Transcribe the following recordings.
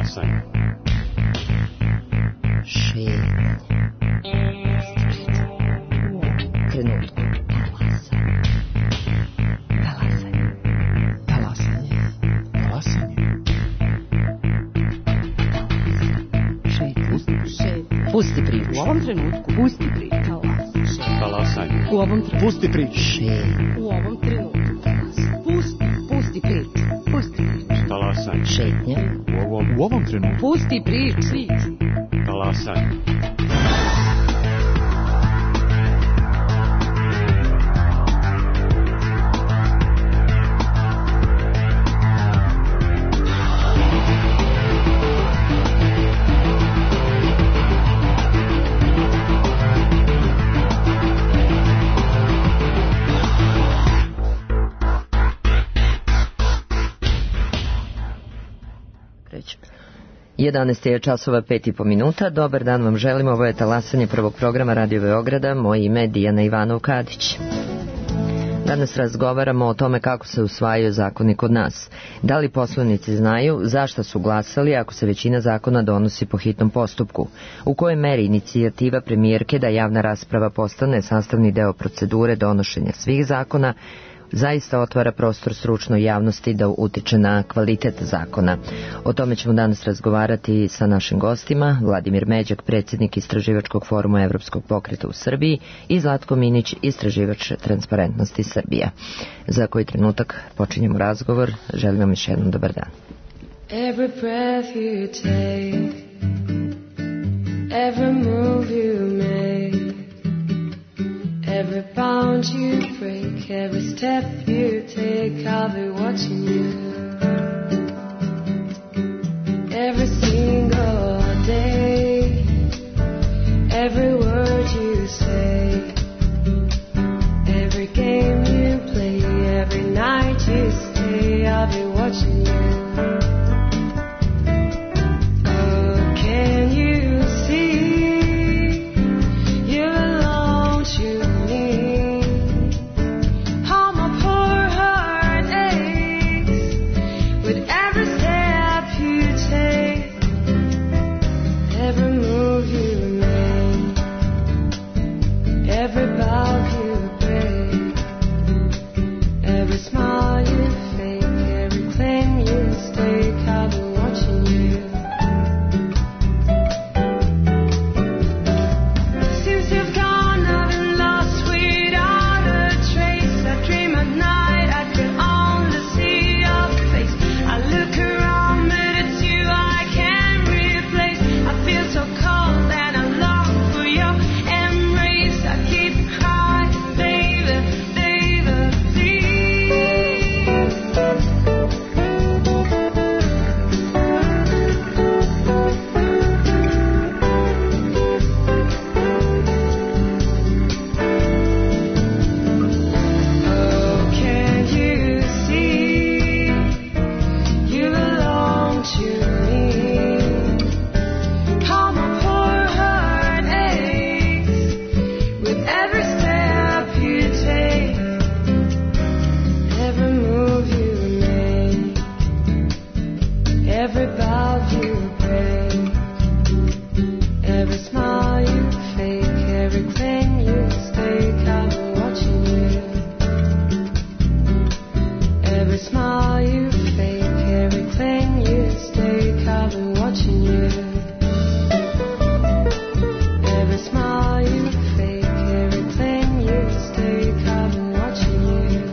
Talasanje. Šetnje. Trenutku. Talasanje. Talasanje. Talasanje. Šetnje. Pusti priču. U ovom trenutku. Pusti priču. Talasanje. U ovom trenutku. Pusti priču. Šetnje. U ovom trenutku. Pusti priču. Pusti priču. Talasanje. Šetnje. U ovom trenutku. Pusti priču. Talasanje. Krećemo. 11 je časova 5,5 Dobar dan vam želimo. Ovo je talasanje prvog programa Radio Beograda. Moje ime je Dijana Ivanov-Kadić. Danas razgovaramo o tome kako se usvajaju zakoni kod nas. Da li poslanici znaju zašto su glasali ako se većina zakona donosi po hitnom postupku? U kojoj meri inicijativa premijerke da javna rasprava postane sastavni deo procedure donošenja svih zakona zaista otvara prostor stručnoj javnosti da utiče na kvalitet zakona. O tome ćemo danas razgovarati sa našim gostima, Vladimir Međak, predsjednik Istraživačkog foruma Evropskog pokreta u Srbiji, i Zlatko Minić, istraživač Transparentnosti Srbija. Za koji trenutak počinjemo razgovor. Želim vam još jednom dobar dan. Every breath you take, every move you make, every bound you break, every step you take, I'll be watching you. Every single day, every word you say, every game you play, every night you stay, I'll be watching you. Oh, can you see you belong to me? How my poor heart aches with every step you take, every move you make, every bow you break, every smile you fake, every claim you stake, I'll be watching you. Since you've gone, I've been lost without a trace. I dream at night, I can only see your face. I look around, but it's you I can't replace. I feel so cold and I long for your embrace. I keep crying, baby, baby, please. Oh, can't you see you belong to me? How my poor heart aches with every step you take, every move you make, every bow you break, every smile you fake, every claim you stake, I'll be watching you. Every smile you fake, every claim you stake, I'll be watching you. Every smile you fake, every claim you stake, I'll be watching you.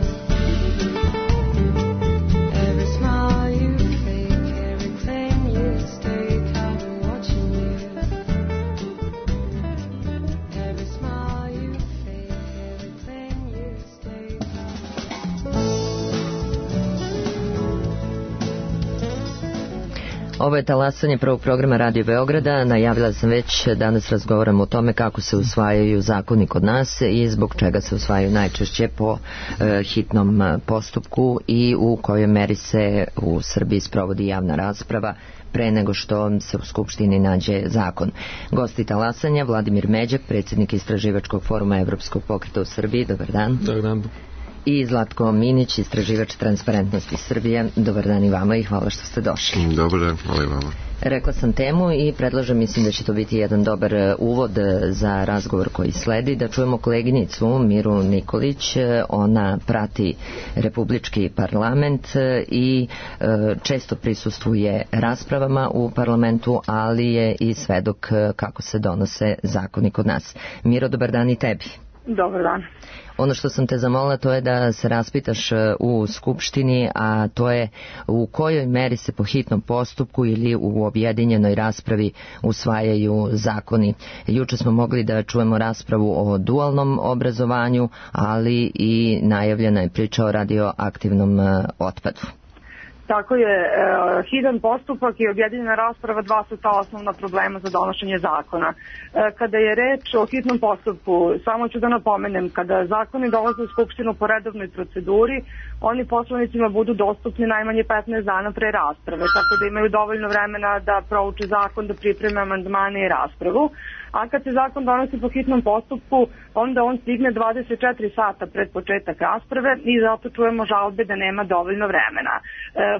Every smile you fake, every claim you stake, I'll be watching you. Every smile you fake, every claim you stake, Ovo je talasanje prvog programa Radio Beograda. Najavila sam već, danas razgovaramo o tome kako se usvajaju zakoni kod nas i zbog čega se usvajaju najčešće po hitnom postupku i u kojoj meri se u Srbiji sprovodi javna rasprava pre nego što se u Skupštini nađe zakon. Gosti talasanja, Vladimir Međak, predsjednik Istraživačkog foruma Evropskog pokreta u Srbiji. Dobar dan. Dobar dan. i Zlatko Minić, istraživač Transparentnosti Srbije. Dobar dan i vama i hvala što ste došli. Dobar dan, hvala i vama. Rekla sam temu i predlažem, mislim da će to biti jedan dobar uvod za razgovor koji sledi, da čujemo koleginicu Miru Nikolić. Ona prati Republički parlament i često prisustvuje raspravama u parlamentu, ali je i svedok kako se donose zakoni kod nas. Miro, dobar dan i tebi. Dobar dan. Ono što sam te zamolila to je da se raspitaš u Skupštini, a to je u kojoj meri se po hitnom postupku ili u objedinjenoj raspravi usvajaju zakoni. Juče smo mogli da čujemo raspravu o dualnom obrazovanju, ali i najavljena je priča o radioaktivnom otpadu. Tako je, hitan postupak i objedinjena rasprava dva su ta osnovna problema za donošenje zakona. Kada je reč o hitnom postupku, samo ću da napomenem, kada zakoni dolaze u Skupštinu po redovnoj proceduri, oni poslanicima budu dostupni najmanje 15 dana pre rasprave, tako da imaju dovoljno vremena da prouče zakon, da pripreme amandmane i raspravu. A kad se zakon donosi po hitnom postupku, onda on stigne 24 sata pred početak rasprave i zato čujemo žalbe da nema dovoljno vremena.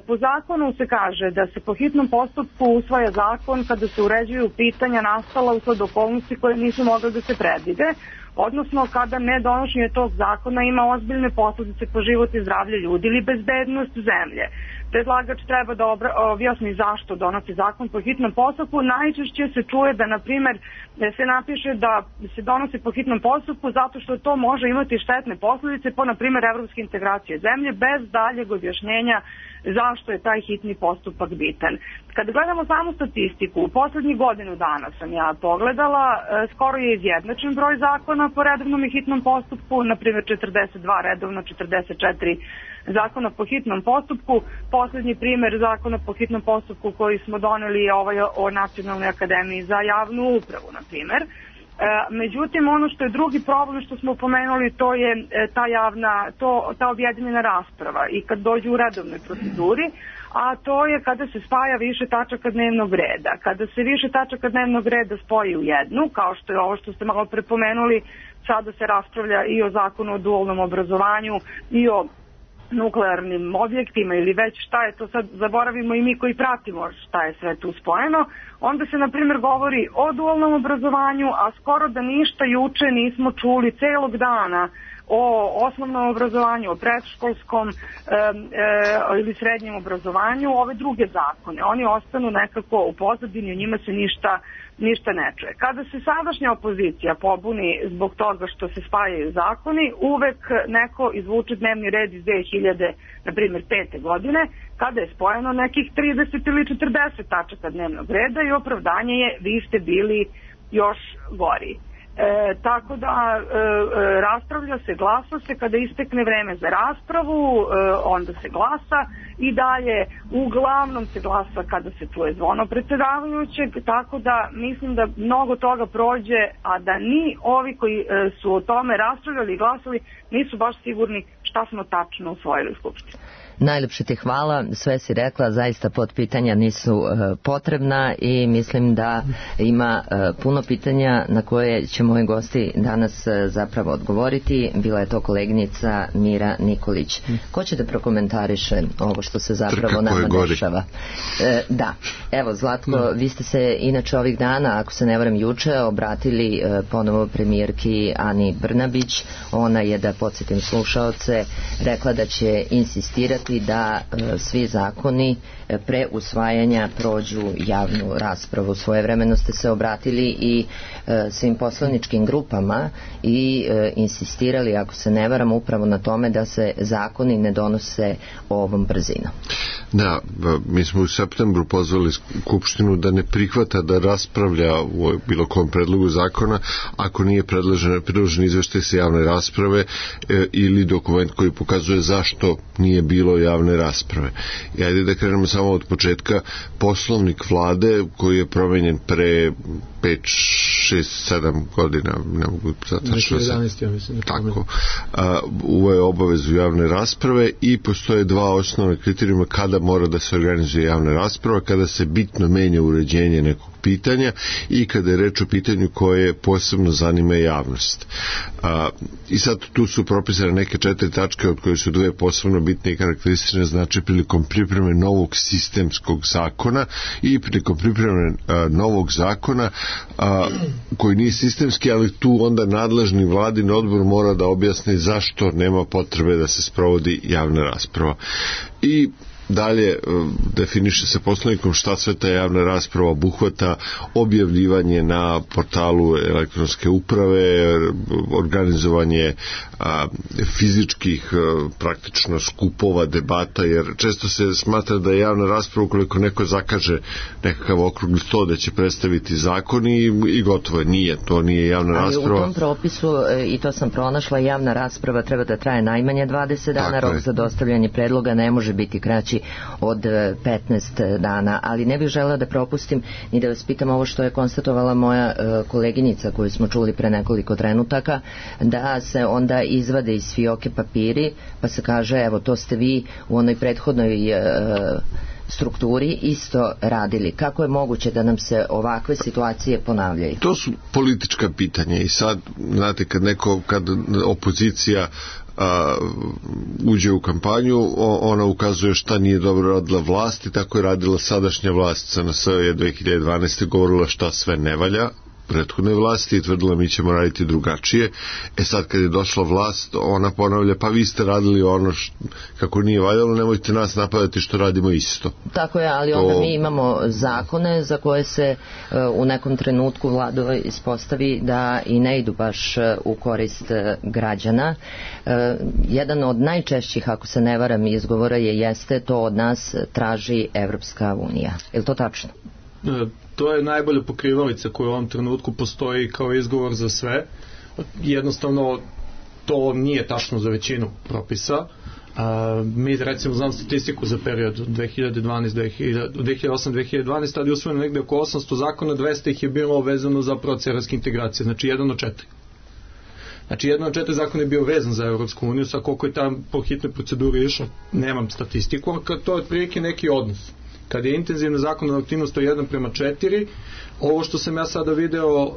Po zakonu se kaže da se po hitnom postupku usvaja zakon kada se uređuju pitanja nastala usled okolnosti koje nisu mogle da se predvide, odnosno kada nedonošenje tog zakona ima ozbiljne posljedice po život i zdravlje ljudi ili bezbednost zemlje. Predlagač treba da objasni zašto donosi zakon po hitnom postupku. Najčešće se čuje da, na primjer, se napiše da se donosi po hitnom postupku zato što to može imati štetne posljedice po, na primjer, evropske integracije zemlje, bez daljeg objašnjenja zašto je taj hitni postupak bitan. Kad gledamo samu statistiku, u poslednjih godinu dana sam ja pogledala, skoro je izjednačen broj zakona po redovnom i hitnom postupku, na primjer 42 redovno, 44 zakona po hitnom postupku. Poslednji primjer zakona po hitnom postupku koji smo doneli je ovaj o Nacionalnoj akademiji za javnu upravu, na primjer. Međutim, ono što je drugi problem što smo pomenuli, to je ta objedinjena rasprava i kad dođu u redovnoj proceduri, a to je kada se spaja više tačaka dnevnog reda. Kada se više tačaka dnevnog reda spoji u jednu, kao što je ovo što ste malo prepomenuli, sada se raspravlja i o zakonu o dualnom obrazovanju i o nuklearnim objektima ili već šta je to sad, zaboravimo i mi koji pratimo šta je sve tu spojeno, onda se na primjer govori o dualnom obrazovanju, a skoro da ništa juče nismo čuli celog dana o osnovnom obrazovanju, o predškolskom ili srednjem obrazovanju, ove druge zakone. Oni ostanu nekako u pozadini, o njima se ništa ne čuje. Kada se sadašnja opozicija pobuni zbog toga što se spajaju zakoni, uvek neko izvuče dnevni red iz 2000, na primjer, 5. godine, kada je spojeno nekih 30 ili 40 tačaka dnevnog reda i opravdanje je vi ste bili još gori. Tako da raspravlja se, glasa se, kada istekne vreme za raspravu, onda se glasa i dalje uglavnom se glasa kada se čuje zvono predsjedavajućeg, tako da mislim da mnogo toga prođe, a da ni ovi koji su o tome raspravljali i glasali nisu baš sigurni šta smo tačno usvojili u Skupštini. Najlepše ti hvala, sve si rekla, zaista podpitanja nisu potrebna i mislim da ima puno pitanja na koje će moji gosti danas zapravo odgovoriti. Bila je to koleginica Mira Nikolić. Ko će da prokomentariše ovo što se zapravo nama dešava? Da, evo Zlatko, vi ste se inače ovih dana, ako se ne varam juče, obratili ponovo premijerki Ani Brnabić. Ona je, da podsjetim slušaoce, rekla da će insistirati da svi zakoni pre usvajanja prođu javnu raspravu. Svojevremeno ste se obratili i svim poslaničkim grupama i insistirali, ako se ne varam, upravo na tome da se zakoni ne donose ovom brzinom. Da, mi smo u septembru pozvali Skupštinu da ne prihvata da raspravlja u bilo kom predlogu zakona ako nije predložen izveštaj sa javne rasprave ili dokument koji pokazuje zašto nije bilo javne rasprave. I ajde da krenemo samo od početka. Poslovnik vlade koji je promenjen pre 5, 6, 7 godina, ne mogu tačno 2011, ja mislim. Tako. Uveo je obavezu javne rasprave i postoje dva osnovne kriterijuma kada mora da se organizuje javna rasprava, kada se bitno menja uređenje nekog pitanja i kada je reč o pitanju koje posebno zanima javnost. I sad tu su propisane neke 4 tačke od koje su 2 posebno bitne i karakteristične, znači prilikom pripreme novog sistemskog zakona i prilikom pripreme novog zakona koji nije sistemski, ali tu onda nadležni vladin odbor mora da objasni zašto nema potrebe da se sprovodi javna rasprava. I dalje definiše se Poslovnikom šta sve ta javna rasprava obuhvata: objavljivanje na portalu elektronske uprave, organizovanje fizičkih praktično skupova, debata, jer često se smatra da je javna rasprava ukoliko neko zakaže nekakav okrugli sto da će predstaviti zakon i gotovo je. Nije, to nije javna rasprava. Ali u tom propisu, i to sam pronašla, javna rasprava treba da traje najmanje 20 dana, rok za dostavljanje predloga ne može biti kraći od 15 dana, ali ne bih želela da propustim ni da vas pitam ovo što je konstatovala moja koleginica koju smo čuli pre nekoliko trenutaka, da se onda izvade iz fioke papiri pa se kaže evo to ste vi u onoj prethodnoj strukturi isto radili. Kako je moguće da nam se ovakve situacije ponavljaju? To su politička pitanja i sad, znate, kad opozicija uđe u kampanju, ona ukazuje šta nije dobro radila vlast i tako je radila sadašnja vlast. SNS je 2012. govorila šta sve ne valja prethodne vlasti i tvrdila mi ćemo raditi drugačije. Sad kad je došla vlast, ona ponavlja pa vi ste radili ono kako nije valjalo, nemojte nas napadati što radimo isto. Tako je, ali onda mi imamo zakone za koje se u nekom trenutku vlada ispostavi da i ne idu baš u korist građana. Jedan od najčešćih, ako se ne varam, izgovora jeste to od nas traži Evropska unija. Je li to tačno? To je najbolja pokrivalica koja u ovom trenutku postoji kao izgovor za sve. Jednostavno to nije tačno za većinu propisa. Mi recimo znam statistiku za period 2008-2012, tada je usvojeno negde oko 800 zakona, 200 ih je bilo vezano za proces evropske integracije, znači 1 od 4. Znači 1 od 4 zakona je bio vezan za Evropsku uniju, sa koliko je tam po hitnoj proceduri išao, nemam statistiku, ali to je otprilike neki odnos. Kad je intenzivna zakonodavna aktivnost 1:4, ovo što sam ja sada video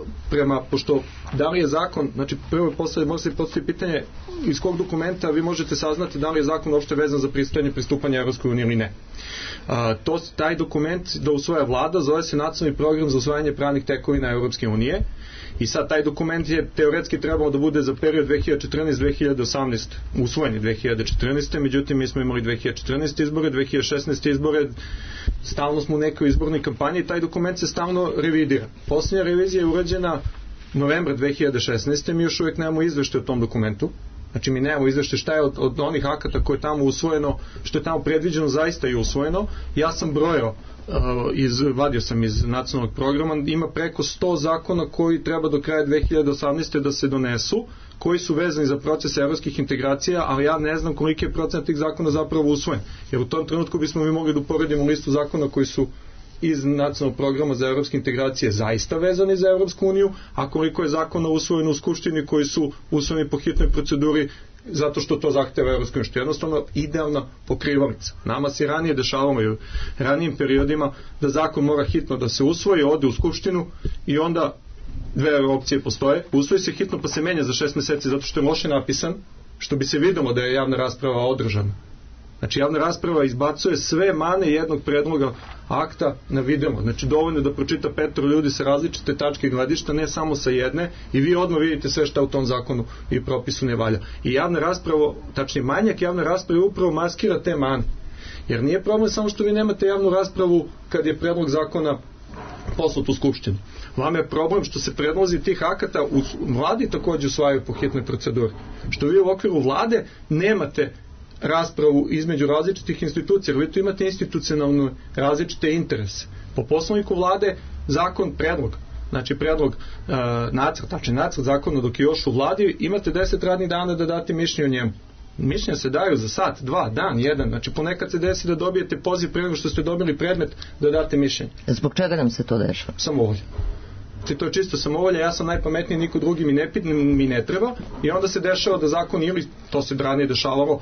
pošto da li je zakon, znači prvo može se postaviti pitanje iz kog dokumenta vi možete saznati da li je zakon uopšte vezan za pristupanje Evropskoj uniji ili ne. Taj dokument da usvaja vlada zove se Nacionalni program za usvajanje pravnih tekovina Evropske unije i sad taj dokument je teoretski trebao da bude za period 2014-2018 usvojen je 2014. Međutim mi smo imali 2014. izbore, 2016. izbore, stalno smo u nekoj izbornoj kampanji i taj dokument se stalno revidira. Posljednja revizija je urađena novembra 2016. Mi još uvijek nemamo izveštaj o tom dokumentu. Znači mi nemamo izveštaj šta je od onih akata koje je tamo usvojeno, što je tamo predviđeno zaista i usvojeno. Ja sam brojao, vadio sam iz nacionalnog programa, ima preko 100 zakona koji treba do kraja 2018. da se donesu, koji su vezani za proces evropskih integracija, ali ja ne znam koliki je procent tih zakona zapravo usvojen. Jer u tom trenutku bismo mi mogli da uporedimo listu zakona koji su iz nacionalnog programa za evropske integracije zaista vezani za Evropsku uniju, a koliko je zakona usvojeno u Skupštini koji su usvojeni po hitnoj proceduri zato što to zahteva Evropska unija, što je jednostavno idealna pokrivalica. Nama se ranije dešavalo i u ranijim periodima da zakon mora hitno da se usvoji, ode u Skupštinu i onda dve opcije postoje. Usvoji se hitno pa se menja za 6 meseci zato što je loše napisan, što bi se videlo da je javna rasprava održana. Znači javna rasprava izbacuje sve mane jednog predloga akta na vidimo. Znači dovoljno da pročita 5 ljudi sa različite tačke gledišta, ne samo sa jedne, i vi odmah vidite sve šta u tom zakonu i propisu ne valja. I javna rasprava, tačnije manjak javne rasprave upravo maskira te mane. Jer nije problem samo što vi nemate javnu raspravu kad je predlog zakona poslat u Skupštinu. Vama je problem što se predlozi tih akata u vladi također usvajaju po hitnoj proceduri. Što vi u okviru vlade nemate raspravu između različitih institucija, jer vi tu imate institucionalno različite interese. Po poslovniku vlade zakon, predlog, znači predlog nacrt zakona dok je još u vladi, imate 10 radnih dana da date mišljenje o njemu. Mišljenja se daju za sat, 2, dan, 1, znači ponekad se desi da dobijete poziv prije nego što ste dobili predmet da date mišljenje. Zbog čega nam se to dešava? Samovolja. to je čisto samovolja, ja sam najpametniji, niko drugi mi ne treba, i onda se dešava da zakon, ili to se ranije dešavalo,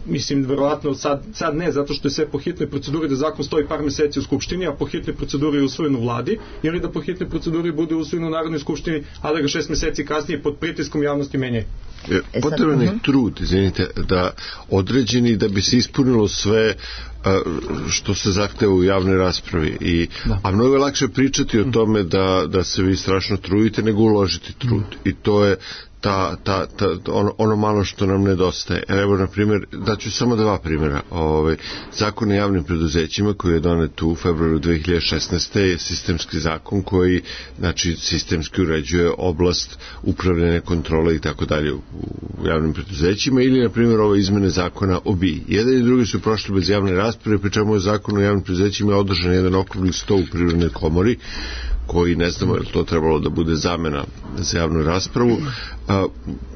mislim verovatno sad ne, zato što je sve po hitnoj proceduri, da zakon stoji par meseci u Skupštini, a po hitnoj proceduri je usvojen u vladi, ili da po hitnoj proceduri bude usvojen u Narodnoj skupštini, a da ga 6 meseci kasnije pod pritiskom javnosti menja. Potreban je trud, izvinite, da određeni, da bi se ispunilo sve što se zahteva u javnoj raspravi, a mnogo je lakše pričati o tome da se vi strašno trudite nego uložiti trud, i to je ono malo što nam nedostaje. Evo, na primjer, daću samo 2 primjera. Zakon o javnim preduzećima koji je donet u februaru 2016. je sistemski zakon koji, znači, sistemski uređuje oblast upravljanja, kontrole i tako dalje u javnim preduzećima, ili, na primjer, ove izmene zakona o BIA. Jedan i drugi su prošli bez javne rasprave, pri čemu je zakon o javnim preduzećima održan jedan okrugli sto u Privrednoj komori, koji ne znamo je li to trebalo da bude zamena za javnu raspravu.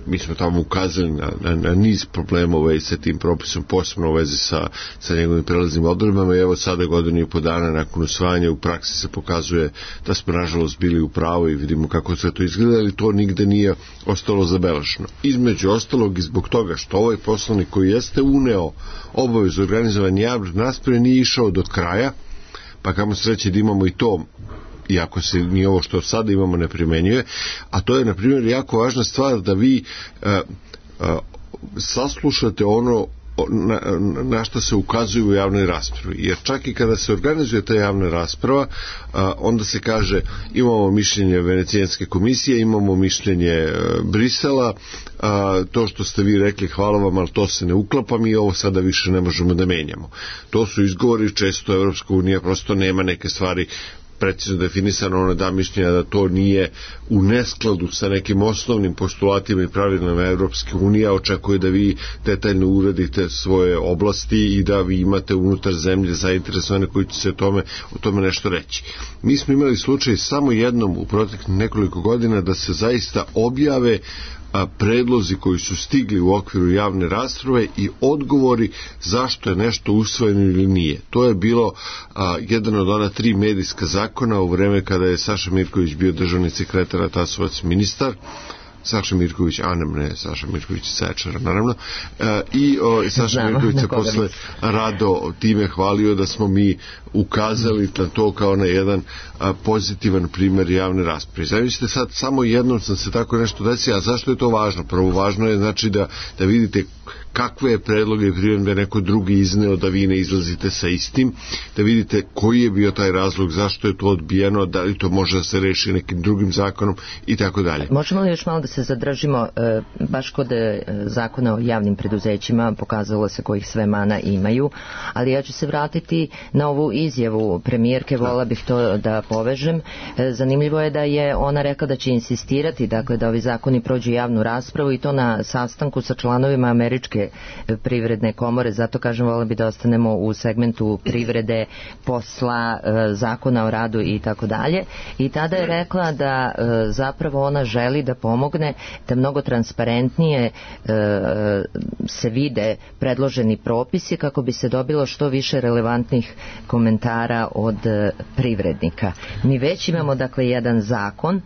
Mi smo tamo ukazali na niz problema u vezi sa tim propisom, posebno u vezi sa njegovim prelaznim odredbama, i evo sada 1.5 dana nakon usvajanja u praksi se pokazuje da smo nažalost bili u pravu i vidimo kako sve to izgleda, ali to nigde nije ostalo zabeleženo. Između ostalog i zbog toga što ovaj poslovnik koji jeste uneo obavezu organizovanja javne rasprave nije išao do kraja, pa kamo sreće da imamo i to, iako se ni ovo što sada imamo ne primenjuje, a to je, na primjer, jako važna stvar da vi saslušate ono na što se ukazuje u javnoj raspravi, jer čak i kada se organizuje ta javna rasprava, onda se kaže imamo mišljenje Venecijanske komisije, imamo mišljenje Brisela, to što ste vi rekli hvala vam, ali to se ne uklapa, mi ovo sada više ne možemo da menjamo. To su izgovori, često Evropska unija prosto nema neke stvari precizno definisano, ona da mišljenja da to nije u neskladu sa nekim osnovnim postulatima i pravilima Evropske unije, očekuje da vi detaljno uredite svoje oblasti i da vi imate unutar zemlje zainteresovane koji će se o tome nešto reći. Mi smo imali slučaj samo jednom u proteklih nekoliko godina da se zaista objave predlozi koji su stigli u okviru javne rasprave i odgovori zašto je nešto usvojeno ili nije. To je bilo jedan od ona 3 medijska zakona u vreme kada je Saša Mirković bio državni sekretar, a Tasovac ministar. Saša Mirković, Saša Mirković Sečara, naravno, i Saša Mirković se posle rado time hvalio da smo mi ukazali na to kao na jedan pozitivan primjer javne rasprave. Zamislite sad, samo jednom sam se tako nešto desio, a zašto je to važno? Prvo, važno je znači da vidite kakve je predloge i primjedbe neko drugi izneo, da vi ne izlazite sa istim, da vidite koji je bio taj razlog, zašto je to odbijeno, da li to može da se reši nekim drugim zakonom i tako dalje. Možemo li još malo da se zadržimo baš kod zakona o javnim preduzećima, pokazalo se kojih sve mana imaju, ali ja ću se vratiti na ovu izjavu premijerke, vola bih to da povežem. Zanimljivo je da je ona rekla da će insistirati, dakle, da ovi zakoni prođu javnu raspravu, i to na sastanku sa članovima Američke privredne komore, zato kažem, vola bi da ostanemo u segmentu privrede, posla, zakona o radu i tako dalje. I tada je rekla da zapravo ona želi da pomogne da mnogo transparentnije se vide predloženi propisi kako bi se dobilo što više relevantnih komentara od privrednika. Mi već imamo, dakle, jedan zakon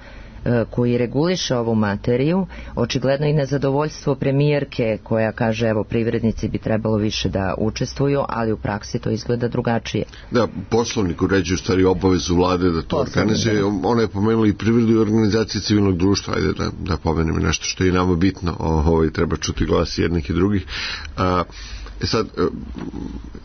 koji reguliše ovu materiju, očigledno i nezadovoljstvo premijerke koja kaže evo privrednici bi trebalo više da učestvuju, ali u praksi to izgleda drugačije. Da, poslovnik uređuje u stvari obavezu vlade da to organizuje. Ona je pomenula i privredu i organizacije civilnog društva, ajde da pomenem nešto što je nama bitno, treba čuti glas jednih i drugih. Sad,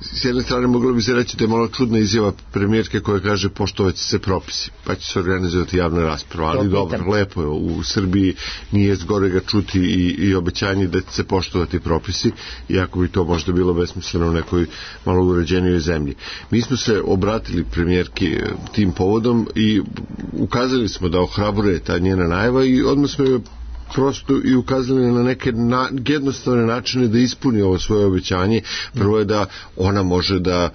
s jedne strane moglo bi se reći da je malo čudna izjava premijerke koja kaže poštovat će se propisi, pa će se organizovati javna rasprava, ali dobro, lepo je, u Srbiji nije zgorega čuti i obećanje da će se poštovati propisi, iako bi to možda bilo besmisleno u nekoj malo uređenijoj zemlji. Mi smo se obratili premijerki tim povodom i ukazali smo da ohrabruje ta njena najava i odmah smo joj prosto i ukazali na neke jednostavne načine da ispuni ovo svoje obećanje. Prvo je da ona može da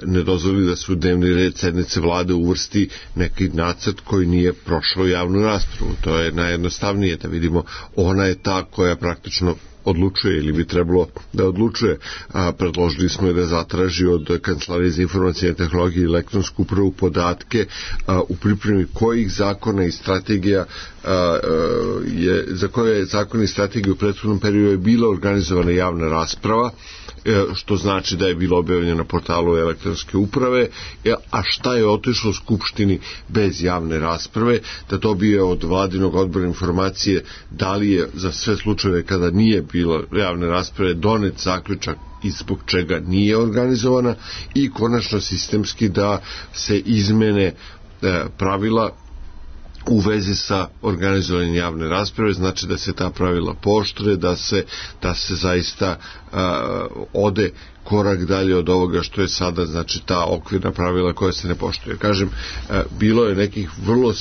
ne dozvoli da se u dnevni red sednice vlade uvrsti neki nacrt koji nije prošao javnu raspravu. To je najjednostavnije, da vidimo, ona je ta koja praktično odlučuje ili bi trebalo da odlučuje. Predložili smo da zatraži od Kancelarije za informacijne tehnologije i elektronsku upravu podatke u pripremi kojih zakona i strategija za koje zakon i strategije u prethodnom periodu je bila organizovana javna rasprava, što znači da je bilo objavljeno na portalu elektronske uprave, a šta je otišlo Skupštini bez javne rasprave, da dobije od vladinog odbora informacije da li je za sve slučajeve kada nije bilo javne rasprave donet zaključak i zbog čega nije organizovana, i konačno sistemski da se izmene pravila u vezi sa organizovanjem javne rasprave, znači da se ta pravila pooštre, da se zaista ode korak dalje od ovoga što je sada, znači ta okvirna pravila koja se ne poštuje. Kažem, bilo je nekih vrlo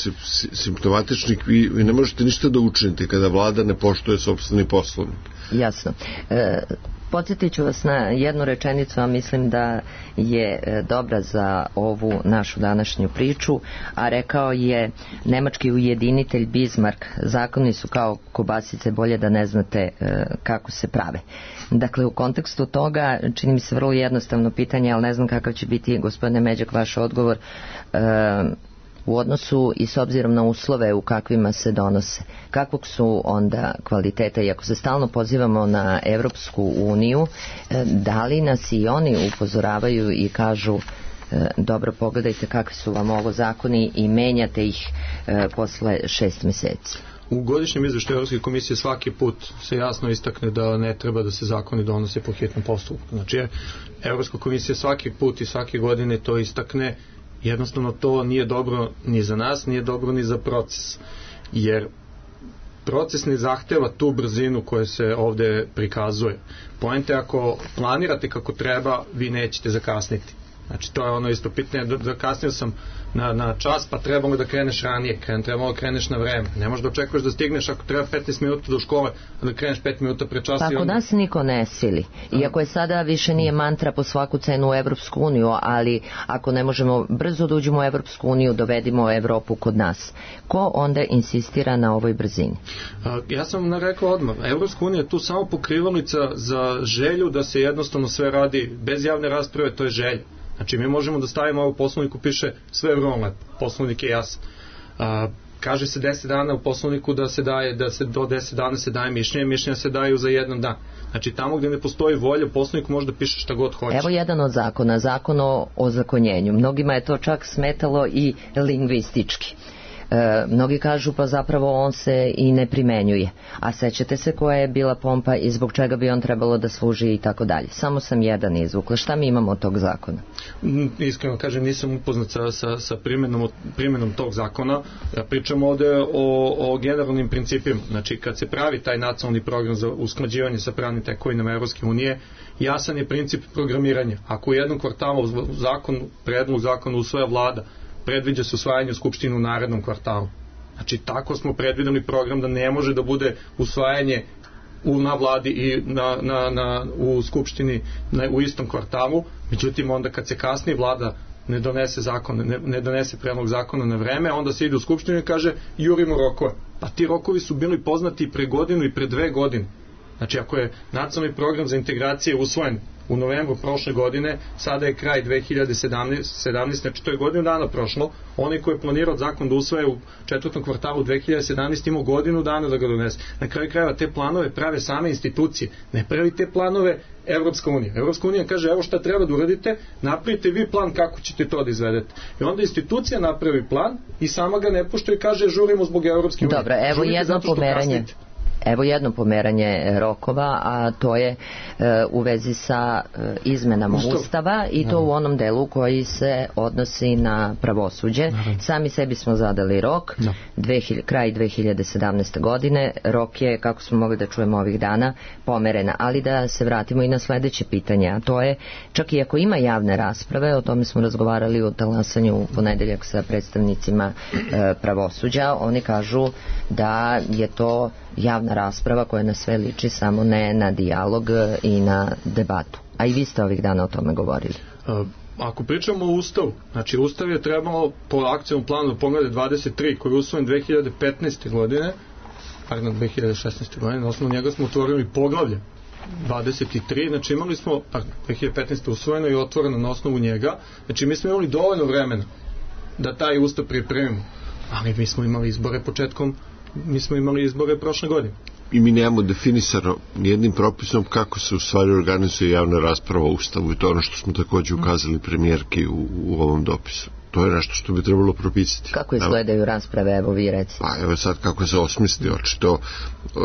simptomatičnih, vi ne možete ništa da učinite kada vlada ne poštuje sopstveni poslovnik. Jasno. Podsjetit ću vas na jednu rečenicu, a mislim da je dobra za ovu našu današnju priču, a rekao je nemački ujedinitelj Bismarck: zakoni su kao kobasice, bolje da ne znate kako se prave. Dakle, u kontekstu toga čini mi se vrlo jednostavno pitanje, ali ne znam kakav će biti, gospodine Međak, vaš odgovor u odnosu i s obzirom na uslove u kakvima se donose. Kakvog su onda kvaliteta, i ako se stalno pozivamo na Evropsku uniju, da li nas i oni upozoravaju i kažu dobro, pogledajte kakvi su vam ovo zakoni i menjate ih posle 6 meseci? U godišnjem izveštaju Evropske komisije svaki put se jasno istakne da ne treba da se zakoni donose po hitnom postupku. Znači, Evropska komisija svaki put i svake godine to istakne. Jednostavno to nije dobro ni za nas, nije dobro ni za proces, jer proces ne zahteva tu brzinu koja se ovde prikazuje. Poenta, ako planirate kako treba, vi nećete zakasniti. Znači, to je ono isto pitanje, zakasnio sam na čas, pa trebamo da kreneš ranije, trebamo da kreneš na vreme. Ne možeš da očekuješ da stigneš ako treba 15 minuta do škole, a da kreneš 5 minuta pre časa. Pa kod nas niko ne sili. Iako je sada više nije mantra po svaku cenu u Evropsku uniju, ali ako ne možemo brzo da uđemo u Evropsku uniju, dovedimo Evropu kod nas. Ko onda insistira na ovoj brzini? Ja sam rekao odmah, Evropska unija je tu samo pokrivalica za želju da se jednostavno sve radi bez javne rasprave, to je želja. Znači, mi možemo da stavimo ovo u poslovniku, piše sve vrlo lepo, poslovnik je jasan. Kaže se 10 dana u poslovniku da se do 10 dana se daje mišljenja se daju za jedan dan. Znači, tamo gde ne postoji volja, u poslovniku može da piše šta god hoće. Evo jedan od zakona, zakon o ozakonjenju. Mnogima je to čak smetalo i lingvistički. Mnogi kažu pa zapravo on se i ne primenjuje, a sećate se koja je bila pompa i zbog čega bi on trebalo da služi i tako dalje. Samo sam jedan izvukla. Šta mi imamo od tog zakona? Iskreno kažem, nisam upoznat sa primjenom tog zakona. Pričamo ovde o generalnim principima. Znači, kad se pravi taj nacionalni program za usklađivanje sa pravnim tekovinama Evropske unije, jasan je princip programiranja. Ako u jednom kvartalu predlog zakona usvaja vlada, predviđa se usvajanje u Skupštini u narednom kvartalu. Znači, tako smo predvideli program da ne može da bude usvajanje na vladi i u Skupštini u istom kvartalu. Međutim, onda kad se kasnije vlada ne donese predlog zakona na vreme, onda se ide u Skupštinu i kaže jurimo rokove. Pa ti rokovi su bili poznati pre godinu i pre 2 godine. Znači, ako je nacionalni program za integracije usvojen u novembru prošle godine, sada je kraj 2017, znači to je godinu dana prošlo, onaj ko je planirao zakon da usvaja u 4. kvartalu 2017 imao godinu dana da ga donese. Na kraju krajeva te planove prave same institucije, ne pravi te planove Evropska unija. Evropska unija kaže evo šta treba da uradite, napravite vi plan kako ćete to da izvedete. I onda institucija napravi plan i sama ga ne poštuje i kaže žurimo zbog Evropske unije. Dobro, evo jedno pomeranje. Evo jedno pomeranje rokova, a to je u vezi sa izmenama Ustava i to u onom delu koji se odnosi na pravosuđe. Sami sebi smo zadali rok, kraj 2017. godine, rok je, kako smo mogli da čujemo ovih dana, pomerena. Ali da se vratimo i na sledeće pitanje, a to je, čak i ako ima javne rasprave, o tome smo razgovarali u talasanju u ponedeljak sa predstavnicima pravosuđa, oni kažu da je to javna rasprava koja na sve liči, samo ne na dijalog i na debatu. A i vi ste ovih dana o tome govorili. Ako pričamo o Ustavu, znači Ustav je trebalo po akcijnom planu Poglavlje 23 koji je usvojen 2015. godine 2016. godine, na osnovu njega smo otvorili poglavlje 23, znači imali smo 2015. usvojeno i otvoreno na osnovu njega, znači mi smo imali dovoljno vremena da taj ustav pripremimo, ali mi smo imali izbore prošle godine. I mi nemamo definisano nijednim propisom kako se u stvari organizuje javna rasprava o ustavu, i to je ono što smo takođe ukazali premijerki u ovom dopisu. To je nešto što bi trebalo propisati. Kako izgledaju rasprave, evo vi recimo? Pa evo sad kako se osmisli, očito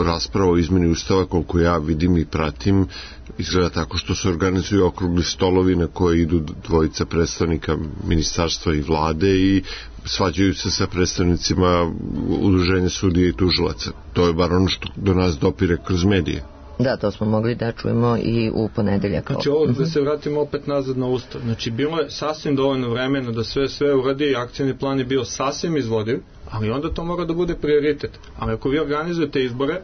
rasprava o izmeni ustava, koliko ja vidim i pratim, izgleda tako što se organizuju okrugli stolovi na koje idu dvojica predstavnika ministarstva i vlade i svađaju se sa predstavnicima udruženja sudija i tužilaca. To je bar ono što do nas dopire kroz medije. Da, to smo mogli da čujemo i u ponedeljak. Znači ovo da se vratimo opet nazad na ustav. Znači bilo je sasvim dovoljno vremena da sve uradi, akcijni plan je bio sasvim izvodiv, ali onda to mora da bude prioritet. Ali ako vi organizujete izbore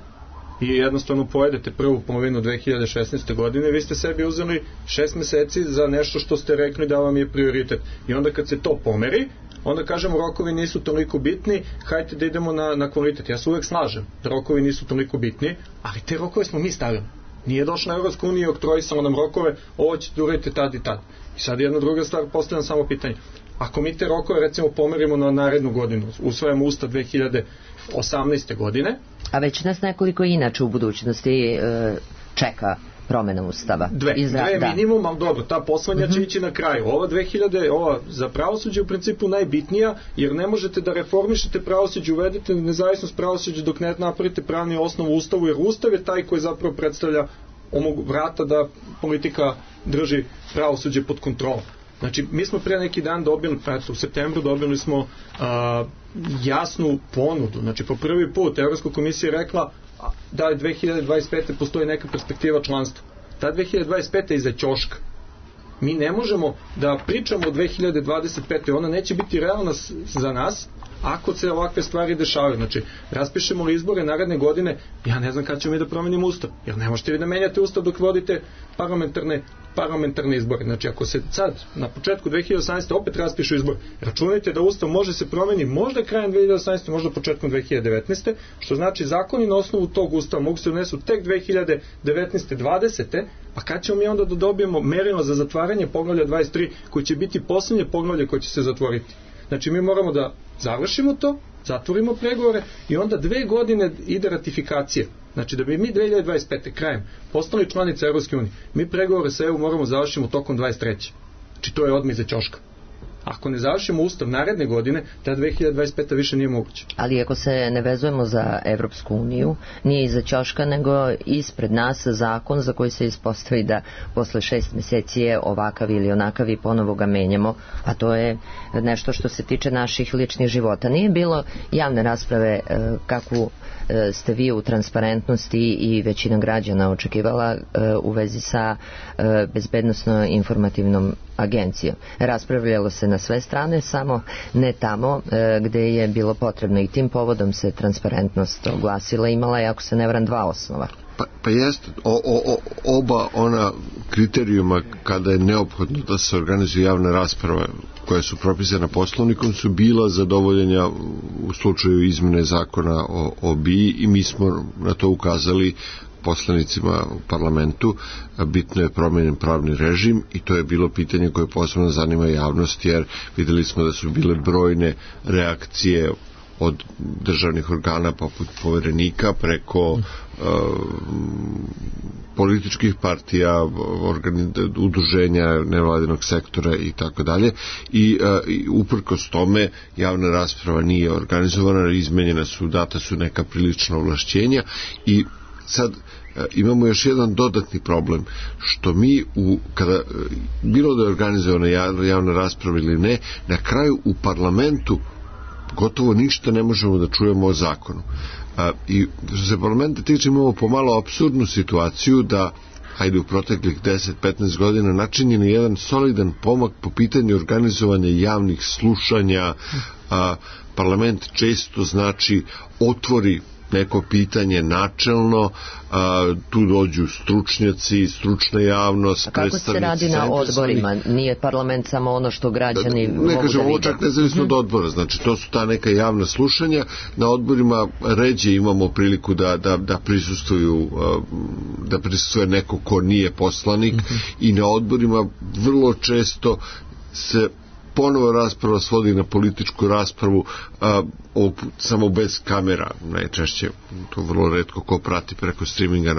i jednostavno pojedete prvu polovinu 2016. godine, vi ste sebi uzeli 6 meseci za nešto što ste rekli da vam je prioritet. I onda kad se to pomeri, onda kažemo rokovi nisu toliko bitni, hajde da idemo na kvalitet. Ja se uvek slažem, rokovi nisu toliko bitni, ali te rokove smo mi stavili. Nije došla Evropska unija i oktrojisala nam rokove, ovo ćete uraditi tad i tad. I sad jedna druga stvar, postavljam samo pitanje. Ako mi te rokove recimo pomerimo na narednu godinu, usvajamo ustav 2018. godine. A već nas nekoliko inače u budućnosti čeka promena ustava. Dve minimum, ali dobro, ta poslednja će ići na kraju. Ova za pravosuđe u principu najbitnija, jer ne možete da reformišete pravosuđe, uvedete nezavisnost pravosuđa dok ne napravite pravni osnov u ustavu, jer ustav je taj koji zapravo predstavlja vrata da politika drži pravosuđe pod kontrolom. Znači, mi smo pre neki dan dobili, u septembru dobili smo jasnu ponudu. Znači, po prvi put Evropska komisija je rekla da 2025. postoji neka perspektiva članstva. Ta 2025. je iza ćoška. Mi ne možemo da pričamo o 2025. Ona neće biti realna za nas ako se ovakve stvari dešavaju. Znači, raspišemo li izbore naredne godine, ja ne znam kada ćemo mi da promenimo ustav. Jer ne možete vi da menjate ustav dok vodite parlamentarne izbore. Znači, ako se sad na početku 2018. opet raspišu izbor, računajte da ustav može se promeni možda krajem 2018. možda početkom 2019. Što znači zakoni na osnovu tog ustava mogu se unesu tek 2019. 20. Pa kad ćemo mi onda da dobijemo merilo za zatvaranje poglavlja 23 koji će biti poslednje poglavlje koje će se zatvoriti. Znači, mi moramo da završimo to, zatvorimo pregovore i onda 2 godine ide ratifikacija. Znači, da bi mi 2025. krajem postali članica Evropske unije, mi pregovore sa EU moramo završimo tokom 23. Znači, to je odmah iza ćoška. Ako ne završimo ustav naredne godine, ta 2025. više nije moguće. Ali ako se ne vezujemo za Evropsku uniju, nije iza ćoška, nego ispred nas zakon za koji se ispostavi da posle 6 meseci je ovakav ili onakav i ponovo ga menjamo, a to je nešto što se tiče naših ličnih života. Nije bilo javne rasprave kakvu ste vi u transparentnosti i većina građana očekivala u vezi sa bezbednosno-informativnom agencijom. Raspravljalo se na sve strane, samo ne tamo gde je bilo potrebno, i tim povodom se transparentnost oglasila, imala je, ako se ne varam, 2 osnova. Pa jeste, oba ona kriterijuma kada je neophodno da se organizuje javna rasprava koja su propisana poslovnikom su bila zadovoljenja u slučaju izmene zakona o BIA i mi smo na to ukazali poslanicima u parlamentu. Bitno je promenjen pravni režim i to je bilo pitanje koje posebno zanima javnost, jer videli smo da su bile brojne reakcije od državnih organa poput poverenika preko političkih partija, udruženja nevladinog sektora i tako dalje, i uprkos tome javna rasprava nije organizovana, izmenjena su, data su neka prilična ovlašćenja i sad imamo još jedan dodatni problem, što mi kada bilo da je organizovana javna rasprava ili ne, na kraju u parlamentu gotovo ništa ne možemo da čujemo o zakonu. I što se parlamenta tiče, imamo pomalo apsurdnu situaciju da u proteklih 10-15 godina načinjen je jedan solidan pomak po pitanju organizovanja javnih slušanja. Parlament često otvori neko pitanje načelno, tu dođu stručnjaci, stručna javnost, a kako se radi na odborima? Nije parlament samo ono što građani mogu da vide? Ne kažem, ovo čak nezavisno od odbora, znači to su ta neka javna slušanja. Na odborima ređe imamo priliku da prisustuje neko ko nije poslanik, i na odborima vrlo često se ponovo rasprava svodi na političku raspravu, samo bez kamera, najčešće, to vrlo retko ko prati preko streaminga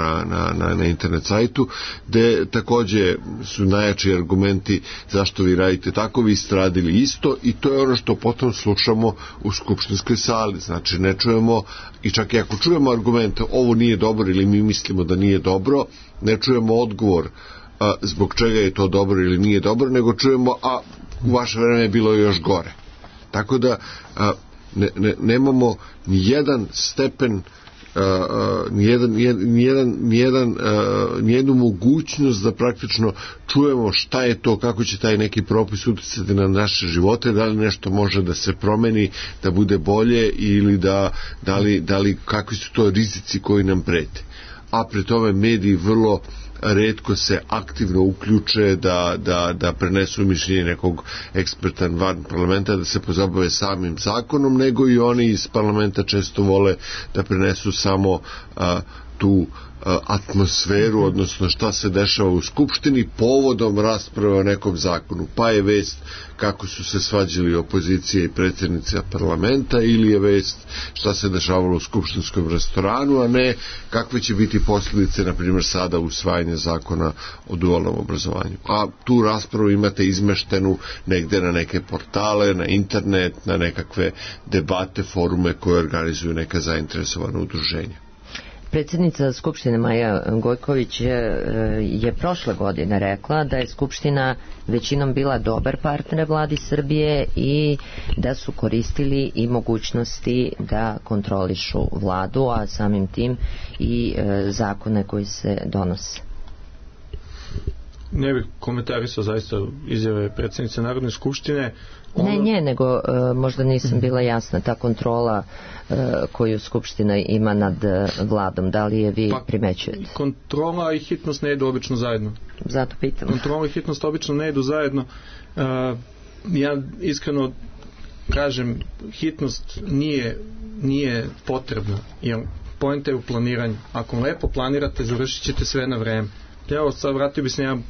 na internet sajtu, gde takođe su najjači argumenti zašto vi radite tako, vi ste radili isto, i to je ono što potom slušamo u skupštinskoj sali. Znači ne čujemo, i čak i ako čujemo argumente ovo nije dobro ili mi mislimo da nije dobro, ne čujemo odgovor zbog čega je to dobro ili nije dobro, nego čujemo u vaše vreme je bilo još gore. Tako da nemamo ni jedan stepen, ni jednu mogućnost da praktično čujemo šta je to, kako će taj neki propis uticati na naše živote, da li nešto može da se promeni, da bude bolje, ili da li kakvi su to rizici koji nam prete. A pri tome mediji vrlo retko se aktivno uključe da prenesu mišljenje nekog eksperta van parlamenta, da se pozabave samim zakonom, nego i oni iz parlamenta često vole da prenesu samo tu atmosferu, odnosno šta se dešava u skupštini povodom rasprave o nekom zakonu. Pa je vest kako su se svađali opozicija i predsjednica parlamenta, ili je vest šta se dešavalo u skupštinskom restoranu, a ne kakve će biti posljedice, na primjer sada usvajanje zakona o dualnom obrazovanju. A tu raspravu imate izmeštenu negde na neke portale, na internet, na nekakve debate, forume koje organizuju neka zainteresovana udruženja. Predsjednica Skupštine Maja Gojković je prošle godine rekla da je Skupština većinom bila dobar partner vladi Srbije i da su koristili i mogućnosti da kontrolišu vladu, a samim tim i zakone koji se donose. Ne bih komentarisao zaista izjave predsjednice Narodne skupštine. Ne, nego možda nisam bila jasna, ta kontrola koju Skupština ima nad vladom, da li je vi primećujete? Kontrola i hitnost ne idu obično zajedno. Zato pitam. Kontrola i hitnost obično ne idu zajedno. Ja iskreno kažem, hitnost nije potrebna, jer poenta je u planiranju. Ako lepo planirate, završit ćete sve na vreme. Evo, sad vratio bi se jedan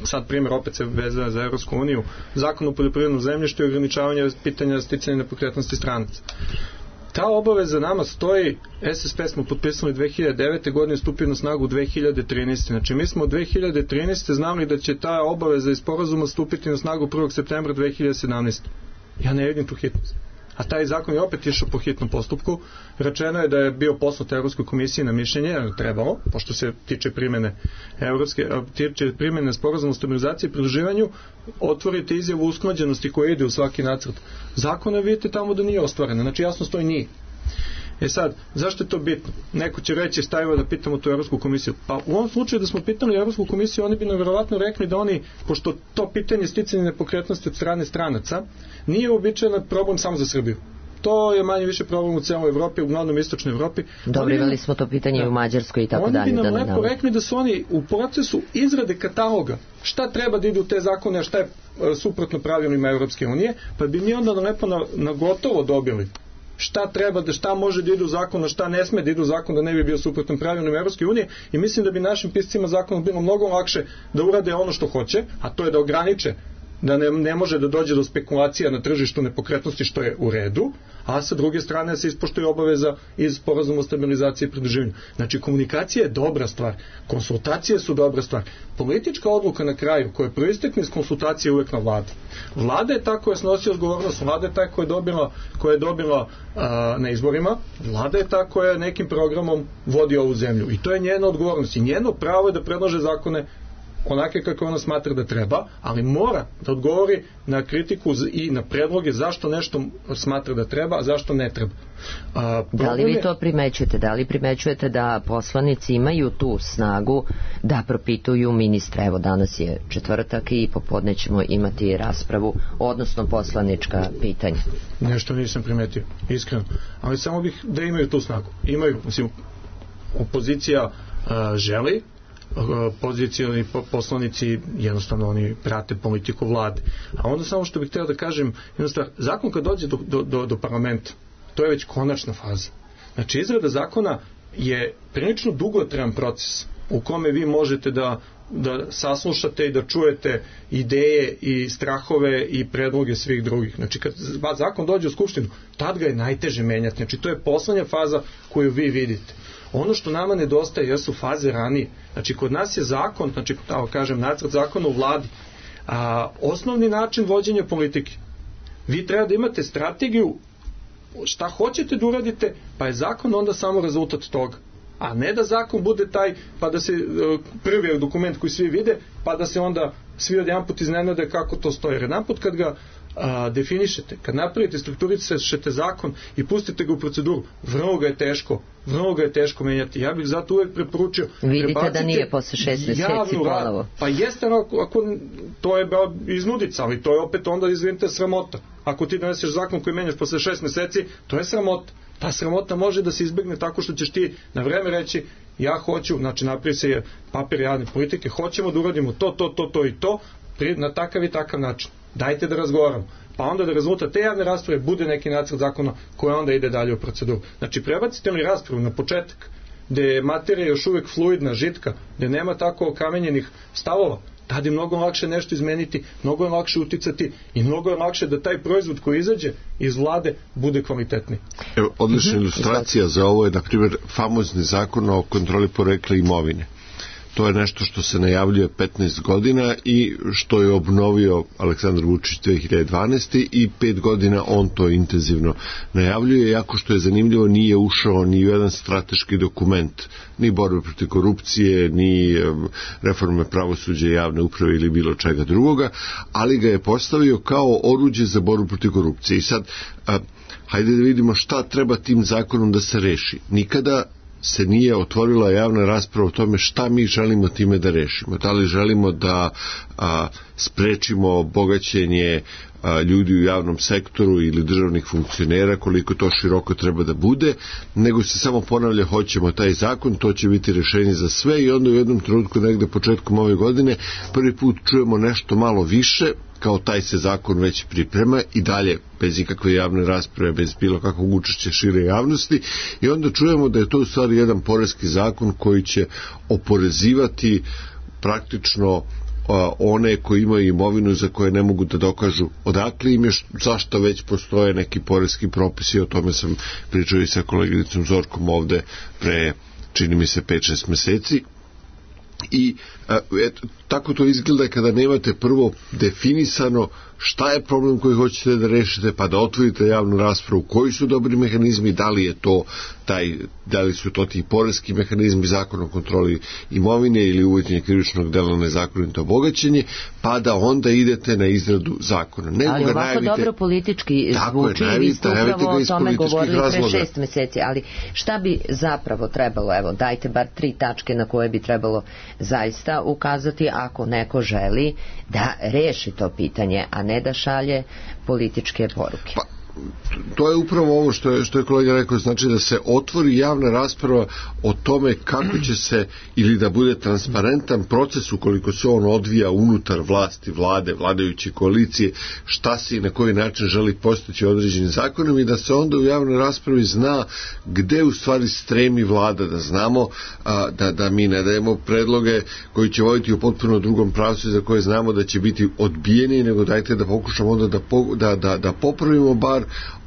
sad primjer, opet se vezuje za Evropsku uniju, zakon o poljoprivrednom zemljištu i ograničavanje pitanja sticanja nepokretnosti stranaca. Ta obaveza nama stoji, SSP smo potpisali 2009. godine, stupio na snagu 2013. Znači mi smo od 2013. znali da će ta obaveza iz sporazuma stupiti na snagu 1. septembra 2017. Ja ne vidim tu hitnost. A taj zakon je opet išao po hitnom postupku. Rečeno je da je bio poslat Evropskoj komisiji na mišljenje, trebalo, pošto se tiče primjene sporazuma o stabilizaciji i pridruživanju, otvorite izjavu usklađenosti koja ide u svaki nacrt zakona, vidite tamo da nije ostvarena. Znači jasno stoji nije. Sad, zašto je to bitno? Neko će reći, stavimo da pitamo tu Evropsku komisiju. Pa u ovom slučaju da smo pitali Evropsku komisiju, oni bi nam vjerovatno rekli da oni, pošto to pitanje sticanja nepokretnosti od strane stranaca nije uobičajen problem samo za Srbiju. To je manje više problem u cijeloj Evropi, uglavnom istočnoj Evropi. Dobro, imali smo to pitanje u Mađarskoj i tako dalje. Oni bi nam lepo rekli da su oni u procesu izrade kataloga šta treba da ide u te zakone, a šta je suprotno pravilima Evropske unije, pa bi mi onda lepo na gotovo dobili šta treba, šta može da ide u zakon, a šta ne sme da ide u zakon, da ne bi bio suprotan pravilima Evropske unije, i mislim da bi našim piscima zakona bilo mnogo lakše da urade ono što hoće, a to je da ograniče da ne može da dođe do spekulacija na tržištu nepokretnosti, što je u redu, a sa druge strane se ispoštuje obaveza iz sporazuma o stabilizaciji i pridruživanju. Znači, komunikacija je dobra stvar, konsultacije su dobra stvar. Politička odluka na kraju, koja proistekne iz konsultacije, je uvek na vladi. Vlada je ta koja snosi odgovornost, vlada je ta koja je dobila na izborima, vlada je ta koja nekim programom vodi ovu zemlju. I to je njena odgovornost. I njeno pravo je da predlaže zakone onake kako ona smatra da treba, ali mora da odgovori na kritiku i na predloge zašto nešto smatra da treba, a zašto ne treba. Da li vi to primećujete? Da li primećujete da poslanici imaju tu snagu da propituju ministra? Evo, danas je četvrtak i popodne ćemo imati raspravu, odnosno poslanička pitanja. Nešto nisam primetio, iskreno. Ali samo bih da imaju tu snagu. Imaju, mislim, opozicija želi, pozicijoni poslanici jednostavno oni prate politiku vlade. A onda samo što bih htio da kažem, jednostavno, zakon kad dođe do parlamenta, to je već konačna faza. Znači, izrada zakona je prilično dugotrajan proces u kome vi možete da saslušate i da čujete ideje i strahove i predloge svih drugih. Znači, kad zakon dođe u skupštinu, tad ga je najteže menjati. Znači, to je poslednja faza koju vi vidite. Ono što nama nedostaje jesu faze ranije. Znači, kod nas je zakon, znači, tako kažem, nacrt zakona u vladi, osnovni način vođenja politike. Vi treba da imate strategiju šta hoćete da uradite, pa je zakon onda samo rezultat toga. A ne da zakon bude taj, pa da se prvi dokument koji svi vide, pa da se onda svi odjedanput iznenade kako to stoji. Jer jedanput kad ga definišete, kad napravite, strukturišete zakon i pustite ga u proceduru, vrlo ga je teško menjati. Ja bih zato uvek preporučio, vidite da nije posle 6 meseci ponovo. Pa jeste, ako to je iznudica, ali to je opet onda, izvinite, sramota. Ako ti doneseš zakon koji menjaš posle 6 meseci, to je sramota. Ta sramota može da se izbegne tako što ćeš ti na vreme reći, ja hoću, znači napravi se papir javne politike, hoćemo da uradimo to i to, na takav i takav način. Dajte da razgovaramo. Pa onda da rezultat te javne rasprave bude neki nacrt zakona koji onda ide dalje u proceduru. Znači, prebacite li raspravu na početak, gde je materija još uvek fluidna, žitka, gde nema tako okamenjenih stavova, tada je mnogo lakše nešto izmeniti, mnogo je lakše uticati i mnogo je lakše da taj proizvod koji izađe iz vlade bude kvalitetniji. Evo, odlična ilustracija za ovo je, na primjer, famozni zakon o kontroli porekla imovine. To je nešto što se najavljuje 15 godina i što je obnovio Aleksandar Vučić 2012. i 5 godina on to intenzivno najavljuje, iako što je zanimljivo nije ušao ni u jedan strateški dokument, ni borbe protiv korupcije, ni reforme pravosuđa i javne uprave ili bilo čega drugoga, ali ga je postavio kao oruđe za borbu protiv korupcije. I sad, hajde da vidimo šta treba tim zakonom da se reši. Nikada se nije otvorila javna rasprava o tome šta mi želimo time da rešimo. Da li želimo da sprečimo bogaćenje ljudi u javnom sektoru ili državnih funkcionera, koliko to široko treba da bude, nego se samo ponavlja hoćemo taj zakon, to će biti rešenje za sve i onda u jednom trenutku negde početkom ove godine prvi put čujemo nešto malo više, kao taj se zakon već priprema i dalje bez ikakve javne rasprave, bez bilo kakvog učešća šire javnosti i onda čujemo da je to u stvari jedan poreski zakon koji će oporezivati praktično one koji imaju imovinu za koje ne mogu da dokažu odakle im je, zašto već postoje neki poreski propisi, o tome sam pričao i sa koleginicom Zorkom ovde pre, čini mi se, 5-6 meseci. I tako to izgleda kada nemate prvo definisano šta je problem koji hoćete da rešite, pa da otvorite javnu raspravu, koji su dobri mehanizmi, da li su to ti poreski mehanizmi, zakon o kontroli imovine ili uvođenje krivičnog dela nezakonito bogaćenje, pa da onda idete na izradu zakona. Ali ovako dobro politički zvuči i vi ste upravo o tome govorili pre 6 meseci, ali šta bi zapravo trebalo, evo dajte bar 3 tačke na koje bi trebalo zaista ukazati ako neko želi da reši to pitanje, a ne da šalje političke poruke. Pa, to je upravo ovo što je kolega rekao, znači da se otvori javna rasprava o tome kako će se, ili da bude transparentan proces ukoliko se on odvija unutar vlasti, vlade, vladajuće koalicije, šta se i na koji način želi postići određenim zakonom i da se onda u javnoj raspravi zna gde u stvari stremi vlada, da znamo da mi ne dajemo predloge koji će voditi u potpuno drugom pravcu za koje znamo da će biti odbijeni, nego dajte da pokušamo onda da popravimo bar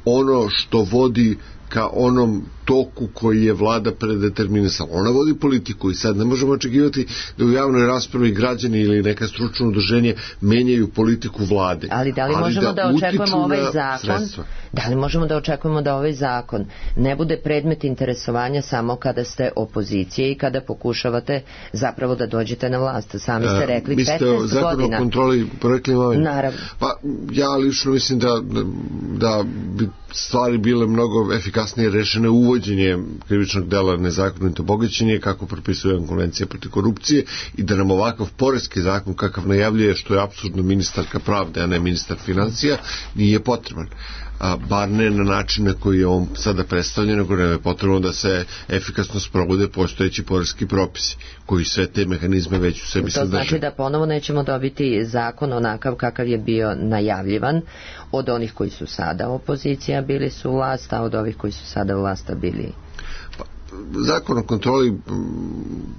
ono što vodi ka onom toku koji je vlada predeterminisala. Ona vodi politiku i sad ne možemo očekivati da u javnoj raspravi građani ili neka stručno udruženje menjaju politiku vlade. Ali da li možemo da očekujemo ovaj zakon? Sredstva. Da li možemo da očekujemo da ovaj zakon ne bude predmet interesovanja samo kada ste opozicije i kada pokušavate zapravo da dođete na vlast? Sami ste rekli 15 godina. Mislite o zakonu o kontroli porekla imovine? Naravno. Pa ja lično mislim da bi stvari bile mnogo efikasnije rešene uvođenjem krivičnog dela nezakonito bogaćenje, kako propisuje konvencija protiv korupcije, i da nam ovakav poreski zakon kakav najavljuje, što je apsurdno ministarka pravde, a ne ministar financija, nije potreban. Bar ne na način na koji je on sada predstavljen, nego nam je potrebno da se efikasno sprovode postojeći poreski propisi koji sve te mehanizme već u sebi sadrže. To znači da ponovo nećemo dobiti zakon onakav kakav je bio najavljivan od onih koji su sada opozicija bili su vlast, a od ovih koji su sada vlasta bili... Zakon o kontroli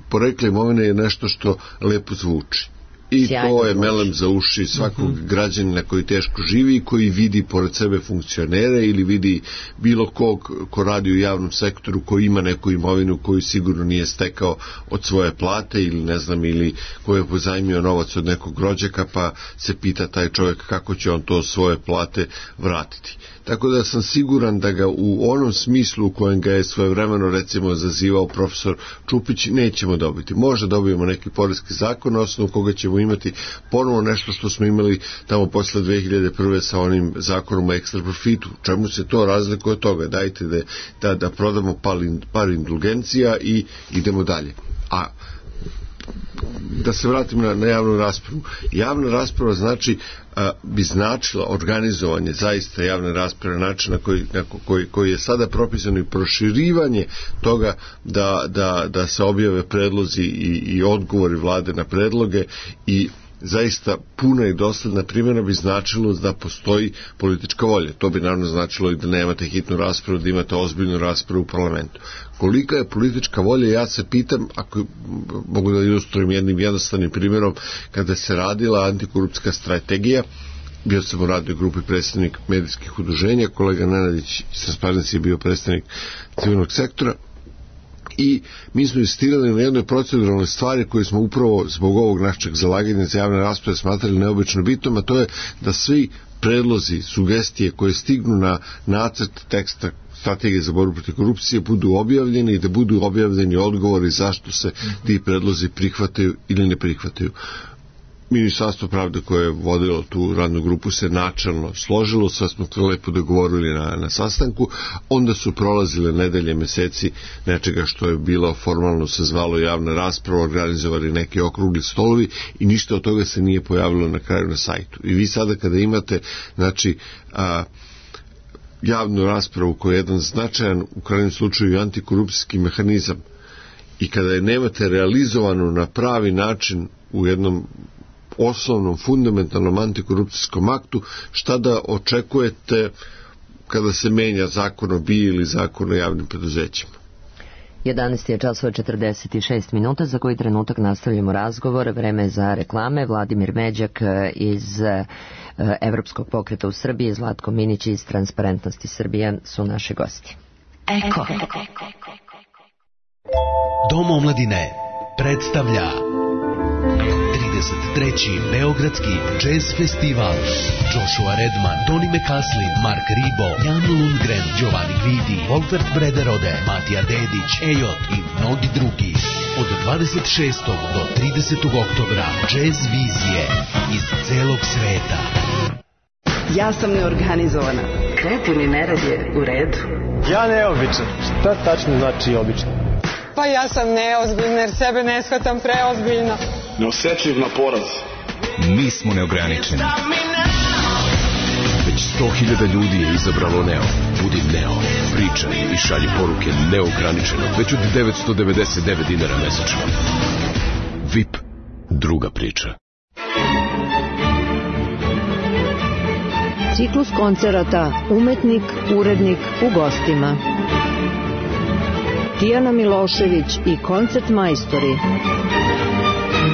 porekla imovine je nešto što lepo zvuči. I to je melem za uši svakog građanina koji teško živi i koji vidi pored sebe funkcionere ili vidi bilo kog ko radi u javnom sektoru, koji ima neku imovinu koju sigurno nije stekao od svoje plate ili ne znam, ili koji je pozajmio novac od nekog rođaka, pa se pita taj čovjek kako će on to svoje plate vratiti. Tako da sam siguran da ga u onom smislu u kojem ga je svojevremeno recimo zazivao profesor Čupić nećemo dobiti. Možda dobijemo neki poreski zakon na osnovu koga ćemo imati ponovo nešto što smo imali tamo posle 2001. sa onim zakonom o ekstra profitu. Čemu se to razlikuje od toga? Dajte da prodamo par indulgencija i idemo dalje. A da se vratim na javnu raspravu. Javna rasprava bi značila organizovanje zaista javne rasprave na način koji je sada propisano i proširivanje toga da se objave predlozi i odgovori vlade na predloge i zaista puna i dosledna primjena bi značilo da postoji politička volja. To bi naravno značilo i da nemate hitnu raspravu, da imate ozbiljnu raspravu u parlamentu. Kolika je politička volja, ja se pitam, ako mogu da ilustrujem jednim jednostavnim primjerom, kada se radila antikorupcijska strategija, bio sam u radnoj grupi predstavnik medijskih udruženja, kolega Nenadić iz Transparency je bio predstavnik civilnog sektora, i mi smo insistirali na jednoj proceduralnoj stvari koju smo upravo zbog ovog našeg zalaganja za javne rasprave smatrali neobično bitnom, a to je da svi predlozi, sugestije koje stignu na nacrt teksta strategije za borbu protiv korupcije budu objavljeni i da budu objavljeni odgovori zašto se ti predlozi prihvataju ili ne prihvataju. Ministarstvo pravde koje je vodilo tu radnu grupu se načelno složilo, sve smo to lepo dogovorili na sastanku, onda su prolazile nedelje, meseci nečega što je bilo formalno se zvalo javna rasprava, organizovali neki okrugli stolovi i ništa od toga se nije pojavilo na kraju na sajtu. I vi sada kada imate javnu raspravu koja je jedan značajan, u krajnjem slučaju, antikorupcijski mehanizam, i kada je nemate realizovano na pravi način u jednom osnovnom, fundamentalnom antikorupcijskom aktu, šta da očekujete kada se menja zakon o BIA ili zakon o javnim preduzećima? 11 je časova 46 minuta, za koji trenutak nastavljamo razgovor. Vreme je za reklame. Vladimir Međak iz Evropskog pokreta u Srbiji, Zlatko Minić iz Transparentnosti Srbije su naši gosti. Eko. Dom omladine predstavlja 33. Beogradski jazz festival. Joshua Redman, Tony McCaslin, Mark Ribot, Jan Lundgren, Giovanni Guidi, Wolfert Brederode, Matija Dedić, Ejot i mnogi drugi. Od 26. do 30. oktobra jazz vizije iz celog sveta. Ja sam neorganizovana. Kreativni nerad je u redu. Ja neobičan. Šta tačno znači obično? Pa ja sam neozbiljna jer sebe ne shvatam preozbiljno. Neosetljiv na poraz. Mi smo neograničeni. Već 100.000 ljudi je izabralo Neo. Budi Neo, pričaj i šalji poruke neograničeno. Već od 999 dinara mesečno. VIP, druga priča. Ciklus koncerata Umetnik, urednik u gostima. Tijana Milošević i koncert majstori.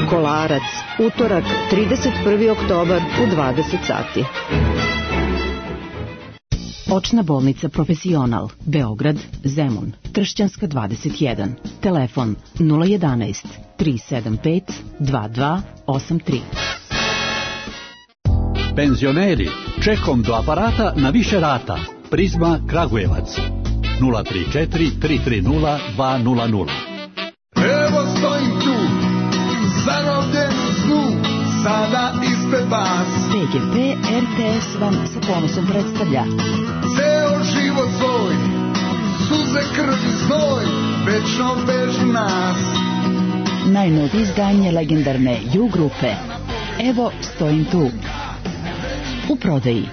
Kolarac, utorak, 31. oktobar u 20 sati. Očna bolnica Profesional, Beograd, Zemun, Tršćanska 21, telefon 011 375 2283. Penzioneri, čekom do aparata na više rata. Prizma Kragujevac 034 330 200. Evo stojim tu, zarobljen u snu, sada ispred vas. PGP RTS vam sa ponosom predstavlja Ceo život svoj, suze, krv i znoj, večno vežu nas. najnovije izdanje legendarne U grupe. Evo stojim tu. U prodaji.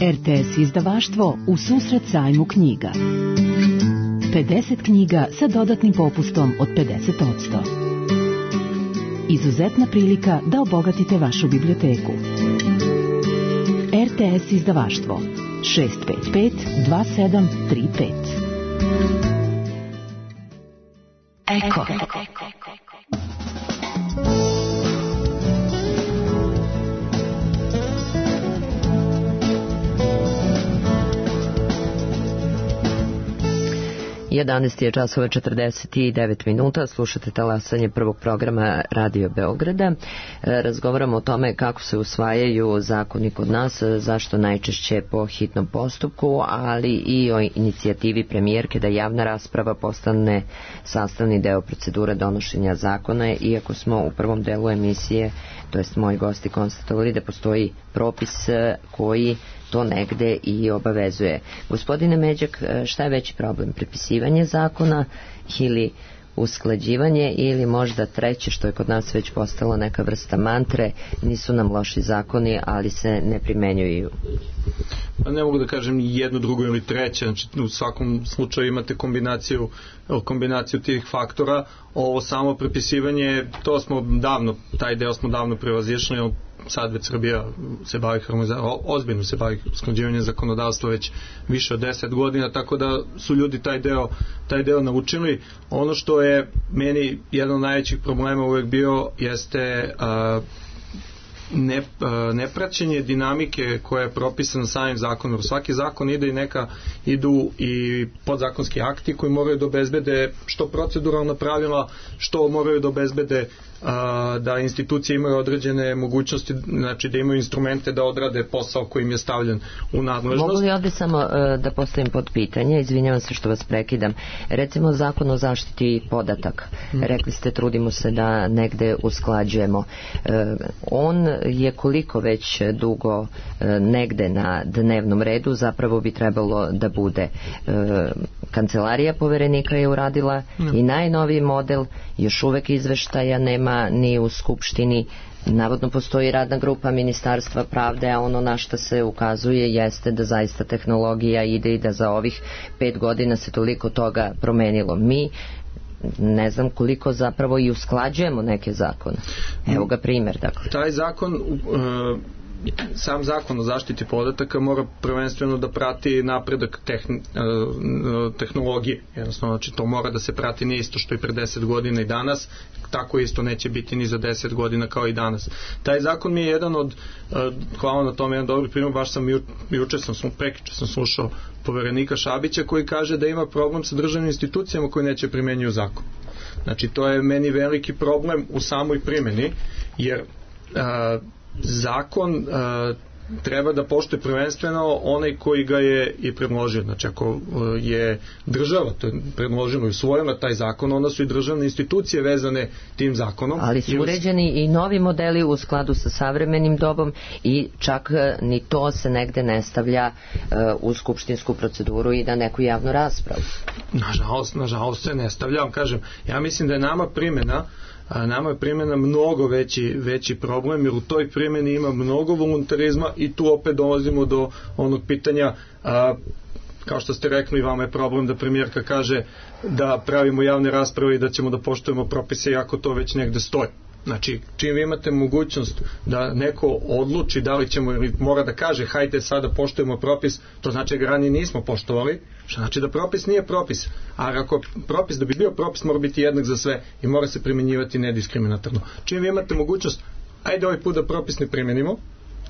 RTS izdavaštvo u susret sajmu knjiga. 50 knjiga sa dodatnim popustom od 50%. Izuzetna prilika da obogatite vašu biblioteku. RTS izdavaštvo 655 2735. Eko. 11 je časova 49 minuta, slušate talasanje prvog programa Radio Beograda. Razgovaramo o tome kako se usvajaju zakoni kod nas, zašto najčešće po hitnom postupku, ali i o inicijativi premijerke da javna rasprava postane sastavni deo procedure donošenja zakona, iako smo u prvom delu emisije, to jest moji gosti, konstatovali da postoji propis koji to negde i obavezuje. Gospodine Međak, šta je veći problem? Prepisivanje zakona ili usklađivanje, ili možda treće, što je kod nas već postalo neka vrsta mantre, nisu nam loši zakoni, ali se ne primenjuju? Ne mogu da kažem ni jedno, drugo ili treće. Znači, u svakom slučaju imate kombinaciju tih faktora. Ovo samo prepisivanje, taj deo smo davno prevazišli. Sad već Srbija se bavi ozbiljno se bavi usklađivanjem zakonodavstva već više od 10 godina, tako da su ljudi taj deo naučili. Ono što je meni jedan od najvećih problema uvek bio jeste nepraćenje dinamike koja je propisana samim zakonom. Svaki zakon idu i podzakonski akti koji moraju da obezbede što proceduralna pravila, što moraju da obezbede da institucije imaju određene mogućnosti, znači da imaju instrumente da odrade posao koji im je stavljen u nadležnost. Mogu li ovdje samo da postavim pod pitanje, izvinjavam se što vas prekidam, recimo zakon o zaštiti podataka, rekli ste trudimo se da negde usklađujemo, on je koliko već dugo negde na dnevnom redu, zapravo bi trebalo da bude kancelarija poverenika je uradila i najnoviji model, još uvek izveštaja nema ni u Skupštini. Navodno postoji radna grupa Ministarstva pravde, a ono na što se ukazuje jeste da zaista tehnologija ide i da za ovih 5 godina se toliko toga promenilo. Mi ne znam koliko zapravo i usklađujemo neke zakone. Evo ga primjer. Dakle. Taj zakon, sam zakon o zaštiti podataka mora prvenstveno da prati napredak tehnologije. Jednostavno, znači to mora da se prati nije isto što i pre 10 godina i danas, tako isto neće biti ni za 10 godina kao i danas. Taj zakon mi je jedan od, hvala na tome, jedan dobri primjer, baš sam prekjuče sam slušao poverenika Šabića koji kaže da ima problem sa državnim institucijama koji neće primenjuju zakon. Znači to je meni veliki problem u samoj primjeni, jer zakon treba da poštuje prvenstveno onaj koji ga je i predložio. Znači ako je država to je predložila i usvojila taj zakon, onda su i državne institucije vezane tim zakonom. Ali su uređeni i novi modeli u skladu sa savremenim dobom i čak ni to se negde ne stavlja u skupštinsku proceduru i na neku javnu raspravu. Nažalost se ne stavlja. Kažem, ja mislim da je nama primjena mnogo veći problem, jer u toj primjeni ima mnogo voluntarizma i tu opet dolazimo do onog pitanja, kao što ste rekli, vama je problem da premijerka kaže da pravimo javne rasprave i da ćemo da poštujemo propise, iako to već negde stoji. Znači, čim vi imate mogućnost da neko odluči da li ćemo ili mora da kaže hajde sada poštujemo propis, to znači da ga ranije nismo poštovali, što znači da propis nije propis. A ako propis, da bi bio propis, mora biti jednak za sve i mora se primjenjivati nediskriminatorno. Čim vi imate mogućnost, ajde ovaj put da propis ne primenimo,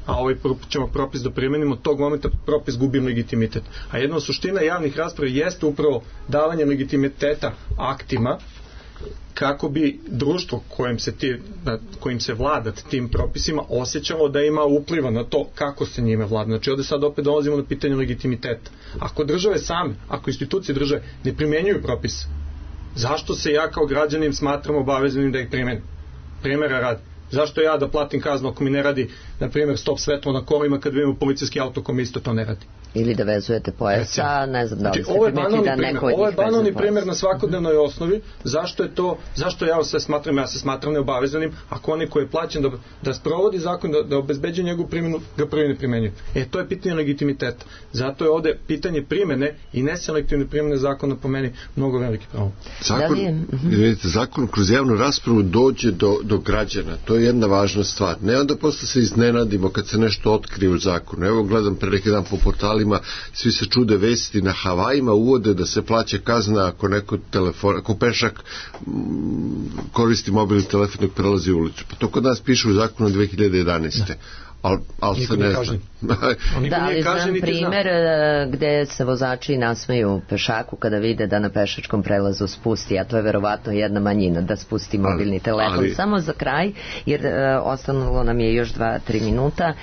a ovaj put ćemo propis da primenimo, tog momenta propis gubi legitimitet. A jedna suština javnih rasprava jeste upravo davanje legitimiteta aktima, kako bi društvo kojim se vlada tim propisima osjećalo da ima upliva na to kako se njime vlada. Znači ovdje sad opet dolazimo na pitanje legitimiteta. Ako države same, ako institucije države ne primjenjuju propise, zašto se ja kao građanin smatram obaveznim da ih primenim? Primjera radi. Zašto ja da platim kaznu ako mi ne radi, na primjer, stop svetlo na kolima kad vidimo policijski auto kom isto to ne radi? Ili da vezujete pojasa, ne znam da li ste primetili da neko od njih vezuje. Ovo je banalni primjer na svakodnevnoj osnovi. Zašto ja se smatram neobavezanim ako oni koji je plaćen da sprovodi zakon, da obezbeđuje njegovu primjenu, ga prvi ne primenjuju. To je pitanje legitimiteta. Zato je ovdje pitanje primjene i neselektivne primjene zakona po meni mnogo veliki problem. Zakon kroz javnu raspravu dođe do građana. To je jedna važna stvar. Ne onda posle se iznenadimo kad se nešto otkrije u zakonu. Evo gledam pre neki dan po portalima, svi se čude vesti, na Havajima uvode da se plaća kazna ako pešak koristi mobilni telefon dok prelazi ulicu. Pa to kod nas piše u zakonu 2011. Ali se ne zna. Da, ali znam primjer gde se vozači nasmeju pešaku kada vide da na pešačkom prelazu spusti, a to je verovatno jedna manjina, da spusti mobilni telefon. Samo za kraj, jer ostalo nam je još 2-3 minuta,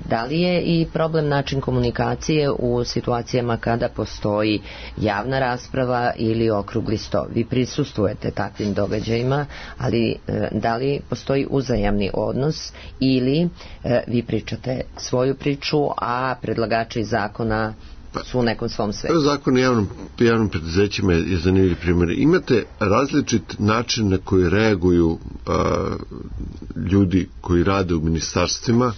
da li je i problem način komunikacije u situacijama kada postoji javna rasprava ili okrugli sto? Vi prisustvujete takvim događajima, ali da li postoji uzajamni odnos ili vi pričate svoju priču, a predlagači zakona su u nekom svom svetu? Zakon o javnim preduzećima je zanimljiv primjer. Imate različit način na koji reaguju ljudi koji rade u ministarstvima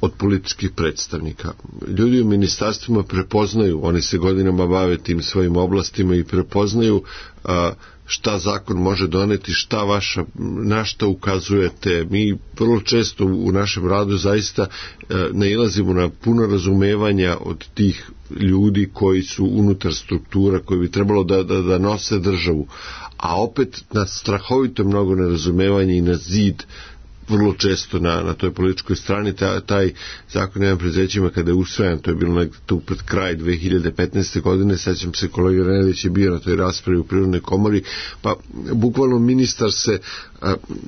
od političkih predstavnika. Ljudi u ministarstvima prepoznaju, oni se godinama bave tim svojim oblastima i prepoznaju šta zakon može doneti, na šta ukazujete. Mi vrlo često u našem radu zaista nailazimo na puno razumevanja od tih ljudi koji su unutar struktura, koji bi trebalo da nose državu, a opet na strahovito mnogo nerazumevanja i na zid vrlo često na toj političkoj strani. Taj zakon o javnim preduzećima kada je usvajan, to je bilo nekde tu pred kraj 2015. godine, sećam se kolega Renelić je bio na toj raspravi u Privrednoj komori, pa bukvalno ministar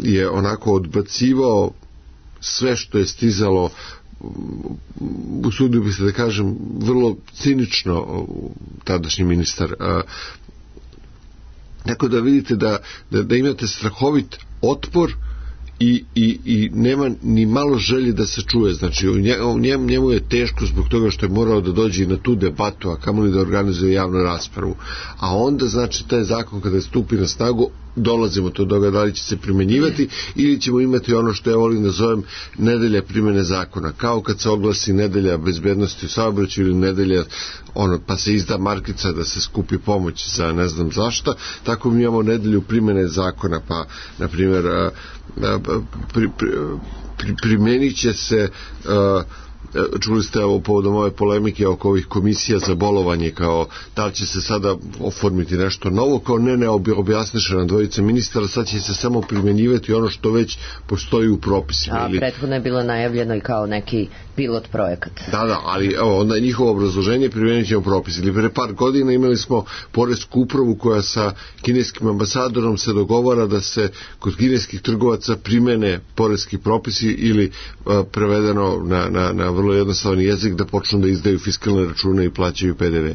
je onako odbacivao sve što je stizalo, usudio bi se da kažem vrlo cinično, tadašnji ministar. Tako da vidite da imate strahovit otpor i nema ni malo želje da se čuje. Znači njemu je teško zbog toga što je morao da dođe i na tu debatu, a kamoli da organizuje javnu raspravu. A onda znači taj zakon kada stupi na snagu dolazimo do toga da li će se primenjivati ili ćemo imati ono što ja volim da zovem nedelja primjene zakona, kao kad se oglasi nedelja bezbednosti u saobraćaju ili nedelja pa se izda markica da se skupi pomoć za ne znam zašta, tako mi imamo nedelju primjene zakona, pa na primjer primenit će se čuli ste povodom ove polemike oko ovih komisija za bolovanje, kao da li će se sada oformiti nešto novo, kao ne objasniše na dvojice ministara, sad će se samo primjenjivati ono što već postoji u propisima. A prethodno je bilo najavljeno i kao neki pilot projekat. Da, ali onda je njihovo obrazloženje, primjenit ćemo propis. Ili pre par godina imali smo poresku upravu koja sa kineskim ambasadorom se dogovara da se kod kineskih trgovaca primene poreski propisi ili prevedeno na vrlo jednostavan jezik da počnu da izdaju fiskalne račune i plaćaju PDV.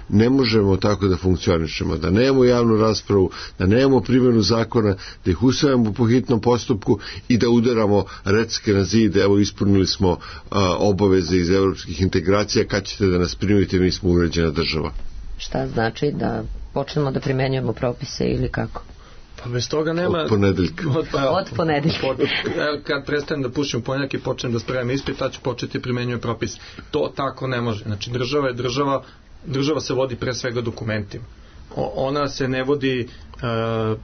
Ne možemo tako da funkcionišemo, da nemamo javnu raspravu, da nemamo primjenu zakona, da ih usvajamo po hitnom postupku i da udaramo recke na zid, evo ispunili smo obaveze iz evropskih integracija, kad ćete da nas primite, mi smo uređena država. Šta znači da počnemo da primenjujemo propise ili kako? Pa bez toga nema... Od ponedeljka. Od ponedeljka. Kad prestanem da pušim ponjak i počnem da spremam ispit, tad ću početi primenjuje propis. To tako ne može. Znači država se vodi pre svega dokumentima. ona se ne vodi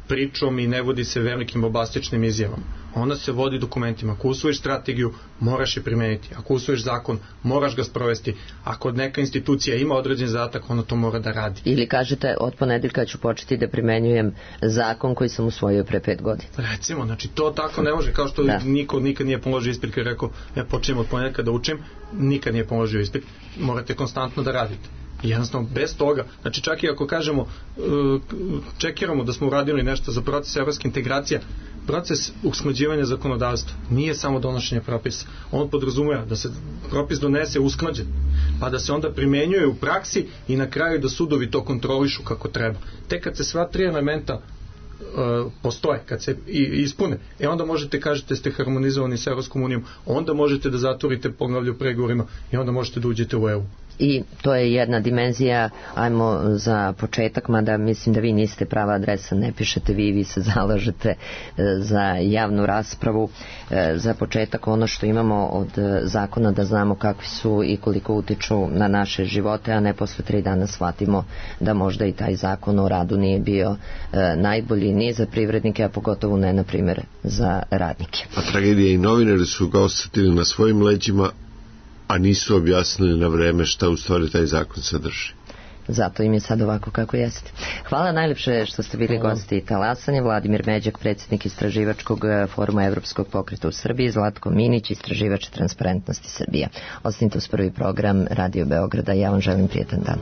pričom i ne vodi se velikim bombastičnim izjavama. Ona se vodi dokumentima. Ako usvojiš strategiju, moraš je primeniti. Ako usvojiš zakon, moraš ga sprovesti. Ako neka institucija ima određen zadatak, ona to mora da radi. Ili kažete, od ponedeljka ću početi da primenjujem zakon koji sam usvojio pre 5 godina. Recimo, znači to tako ne može, kao što niko nikad nije položio ispit, koji je rekao, ja počnem od ponedeljka da učim, nikad nije položio ispit. Morate konstantno da radite. Jednostavno, bez toga, znači čak i ako kažemo, čekiramo da smo uradili nešto za proces evropske integracija, proces usklađivanja zakonodavstva nije samo donošenje propisa. On podrazumeva da se propis donese usklađen, pa da se onda primenjuje u praksi i na kraju da sudovi to kontrolišu kako treba. Tek kad se sva 3 elementa postoje, kad se ispune, onda možete kažete ste harmonizovani sa Evropskom unijom, onda možete da zatvorite poglavlje u pregovorima i onda možete da uđete u EU. I to je jedna dimenzija, ajmo za početak, mada mislim da vi niste prava adresa, ne pišete vi se zalažete za javnu raspravu. Za početak ono što imamo od zakona da znamo kakvi su i koliko utiču na naše živote, a ne posle 3 dana shvatimo da možda i taj zakon o radu nije bio najbolji ni za privrednike, a pogotovo ne, na primjer, za radnike. A tragedija i novinari su ga osetili na svojim leđima, a nisu objasnili na vreme šta u stvari taj zakon sadrži. Zato im je sad ovako kako jeste. Hvala najlepše što ste bili gosti talasanja. Vladimir Međak, predsjednik Istraživačkog foruma Evropskog pokreta u Srbiji, Zlatko Minić, istraživač Transparentnosti Srbija. Ostanite uz prvi program Radio Beograda. Ja vam želim prijetan dan.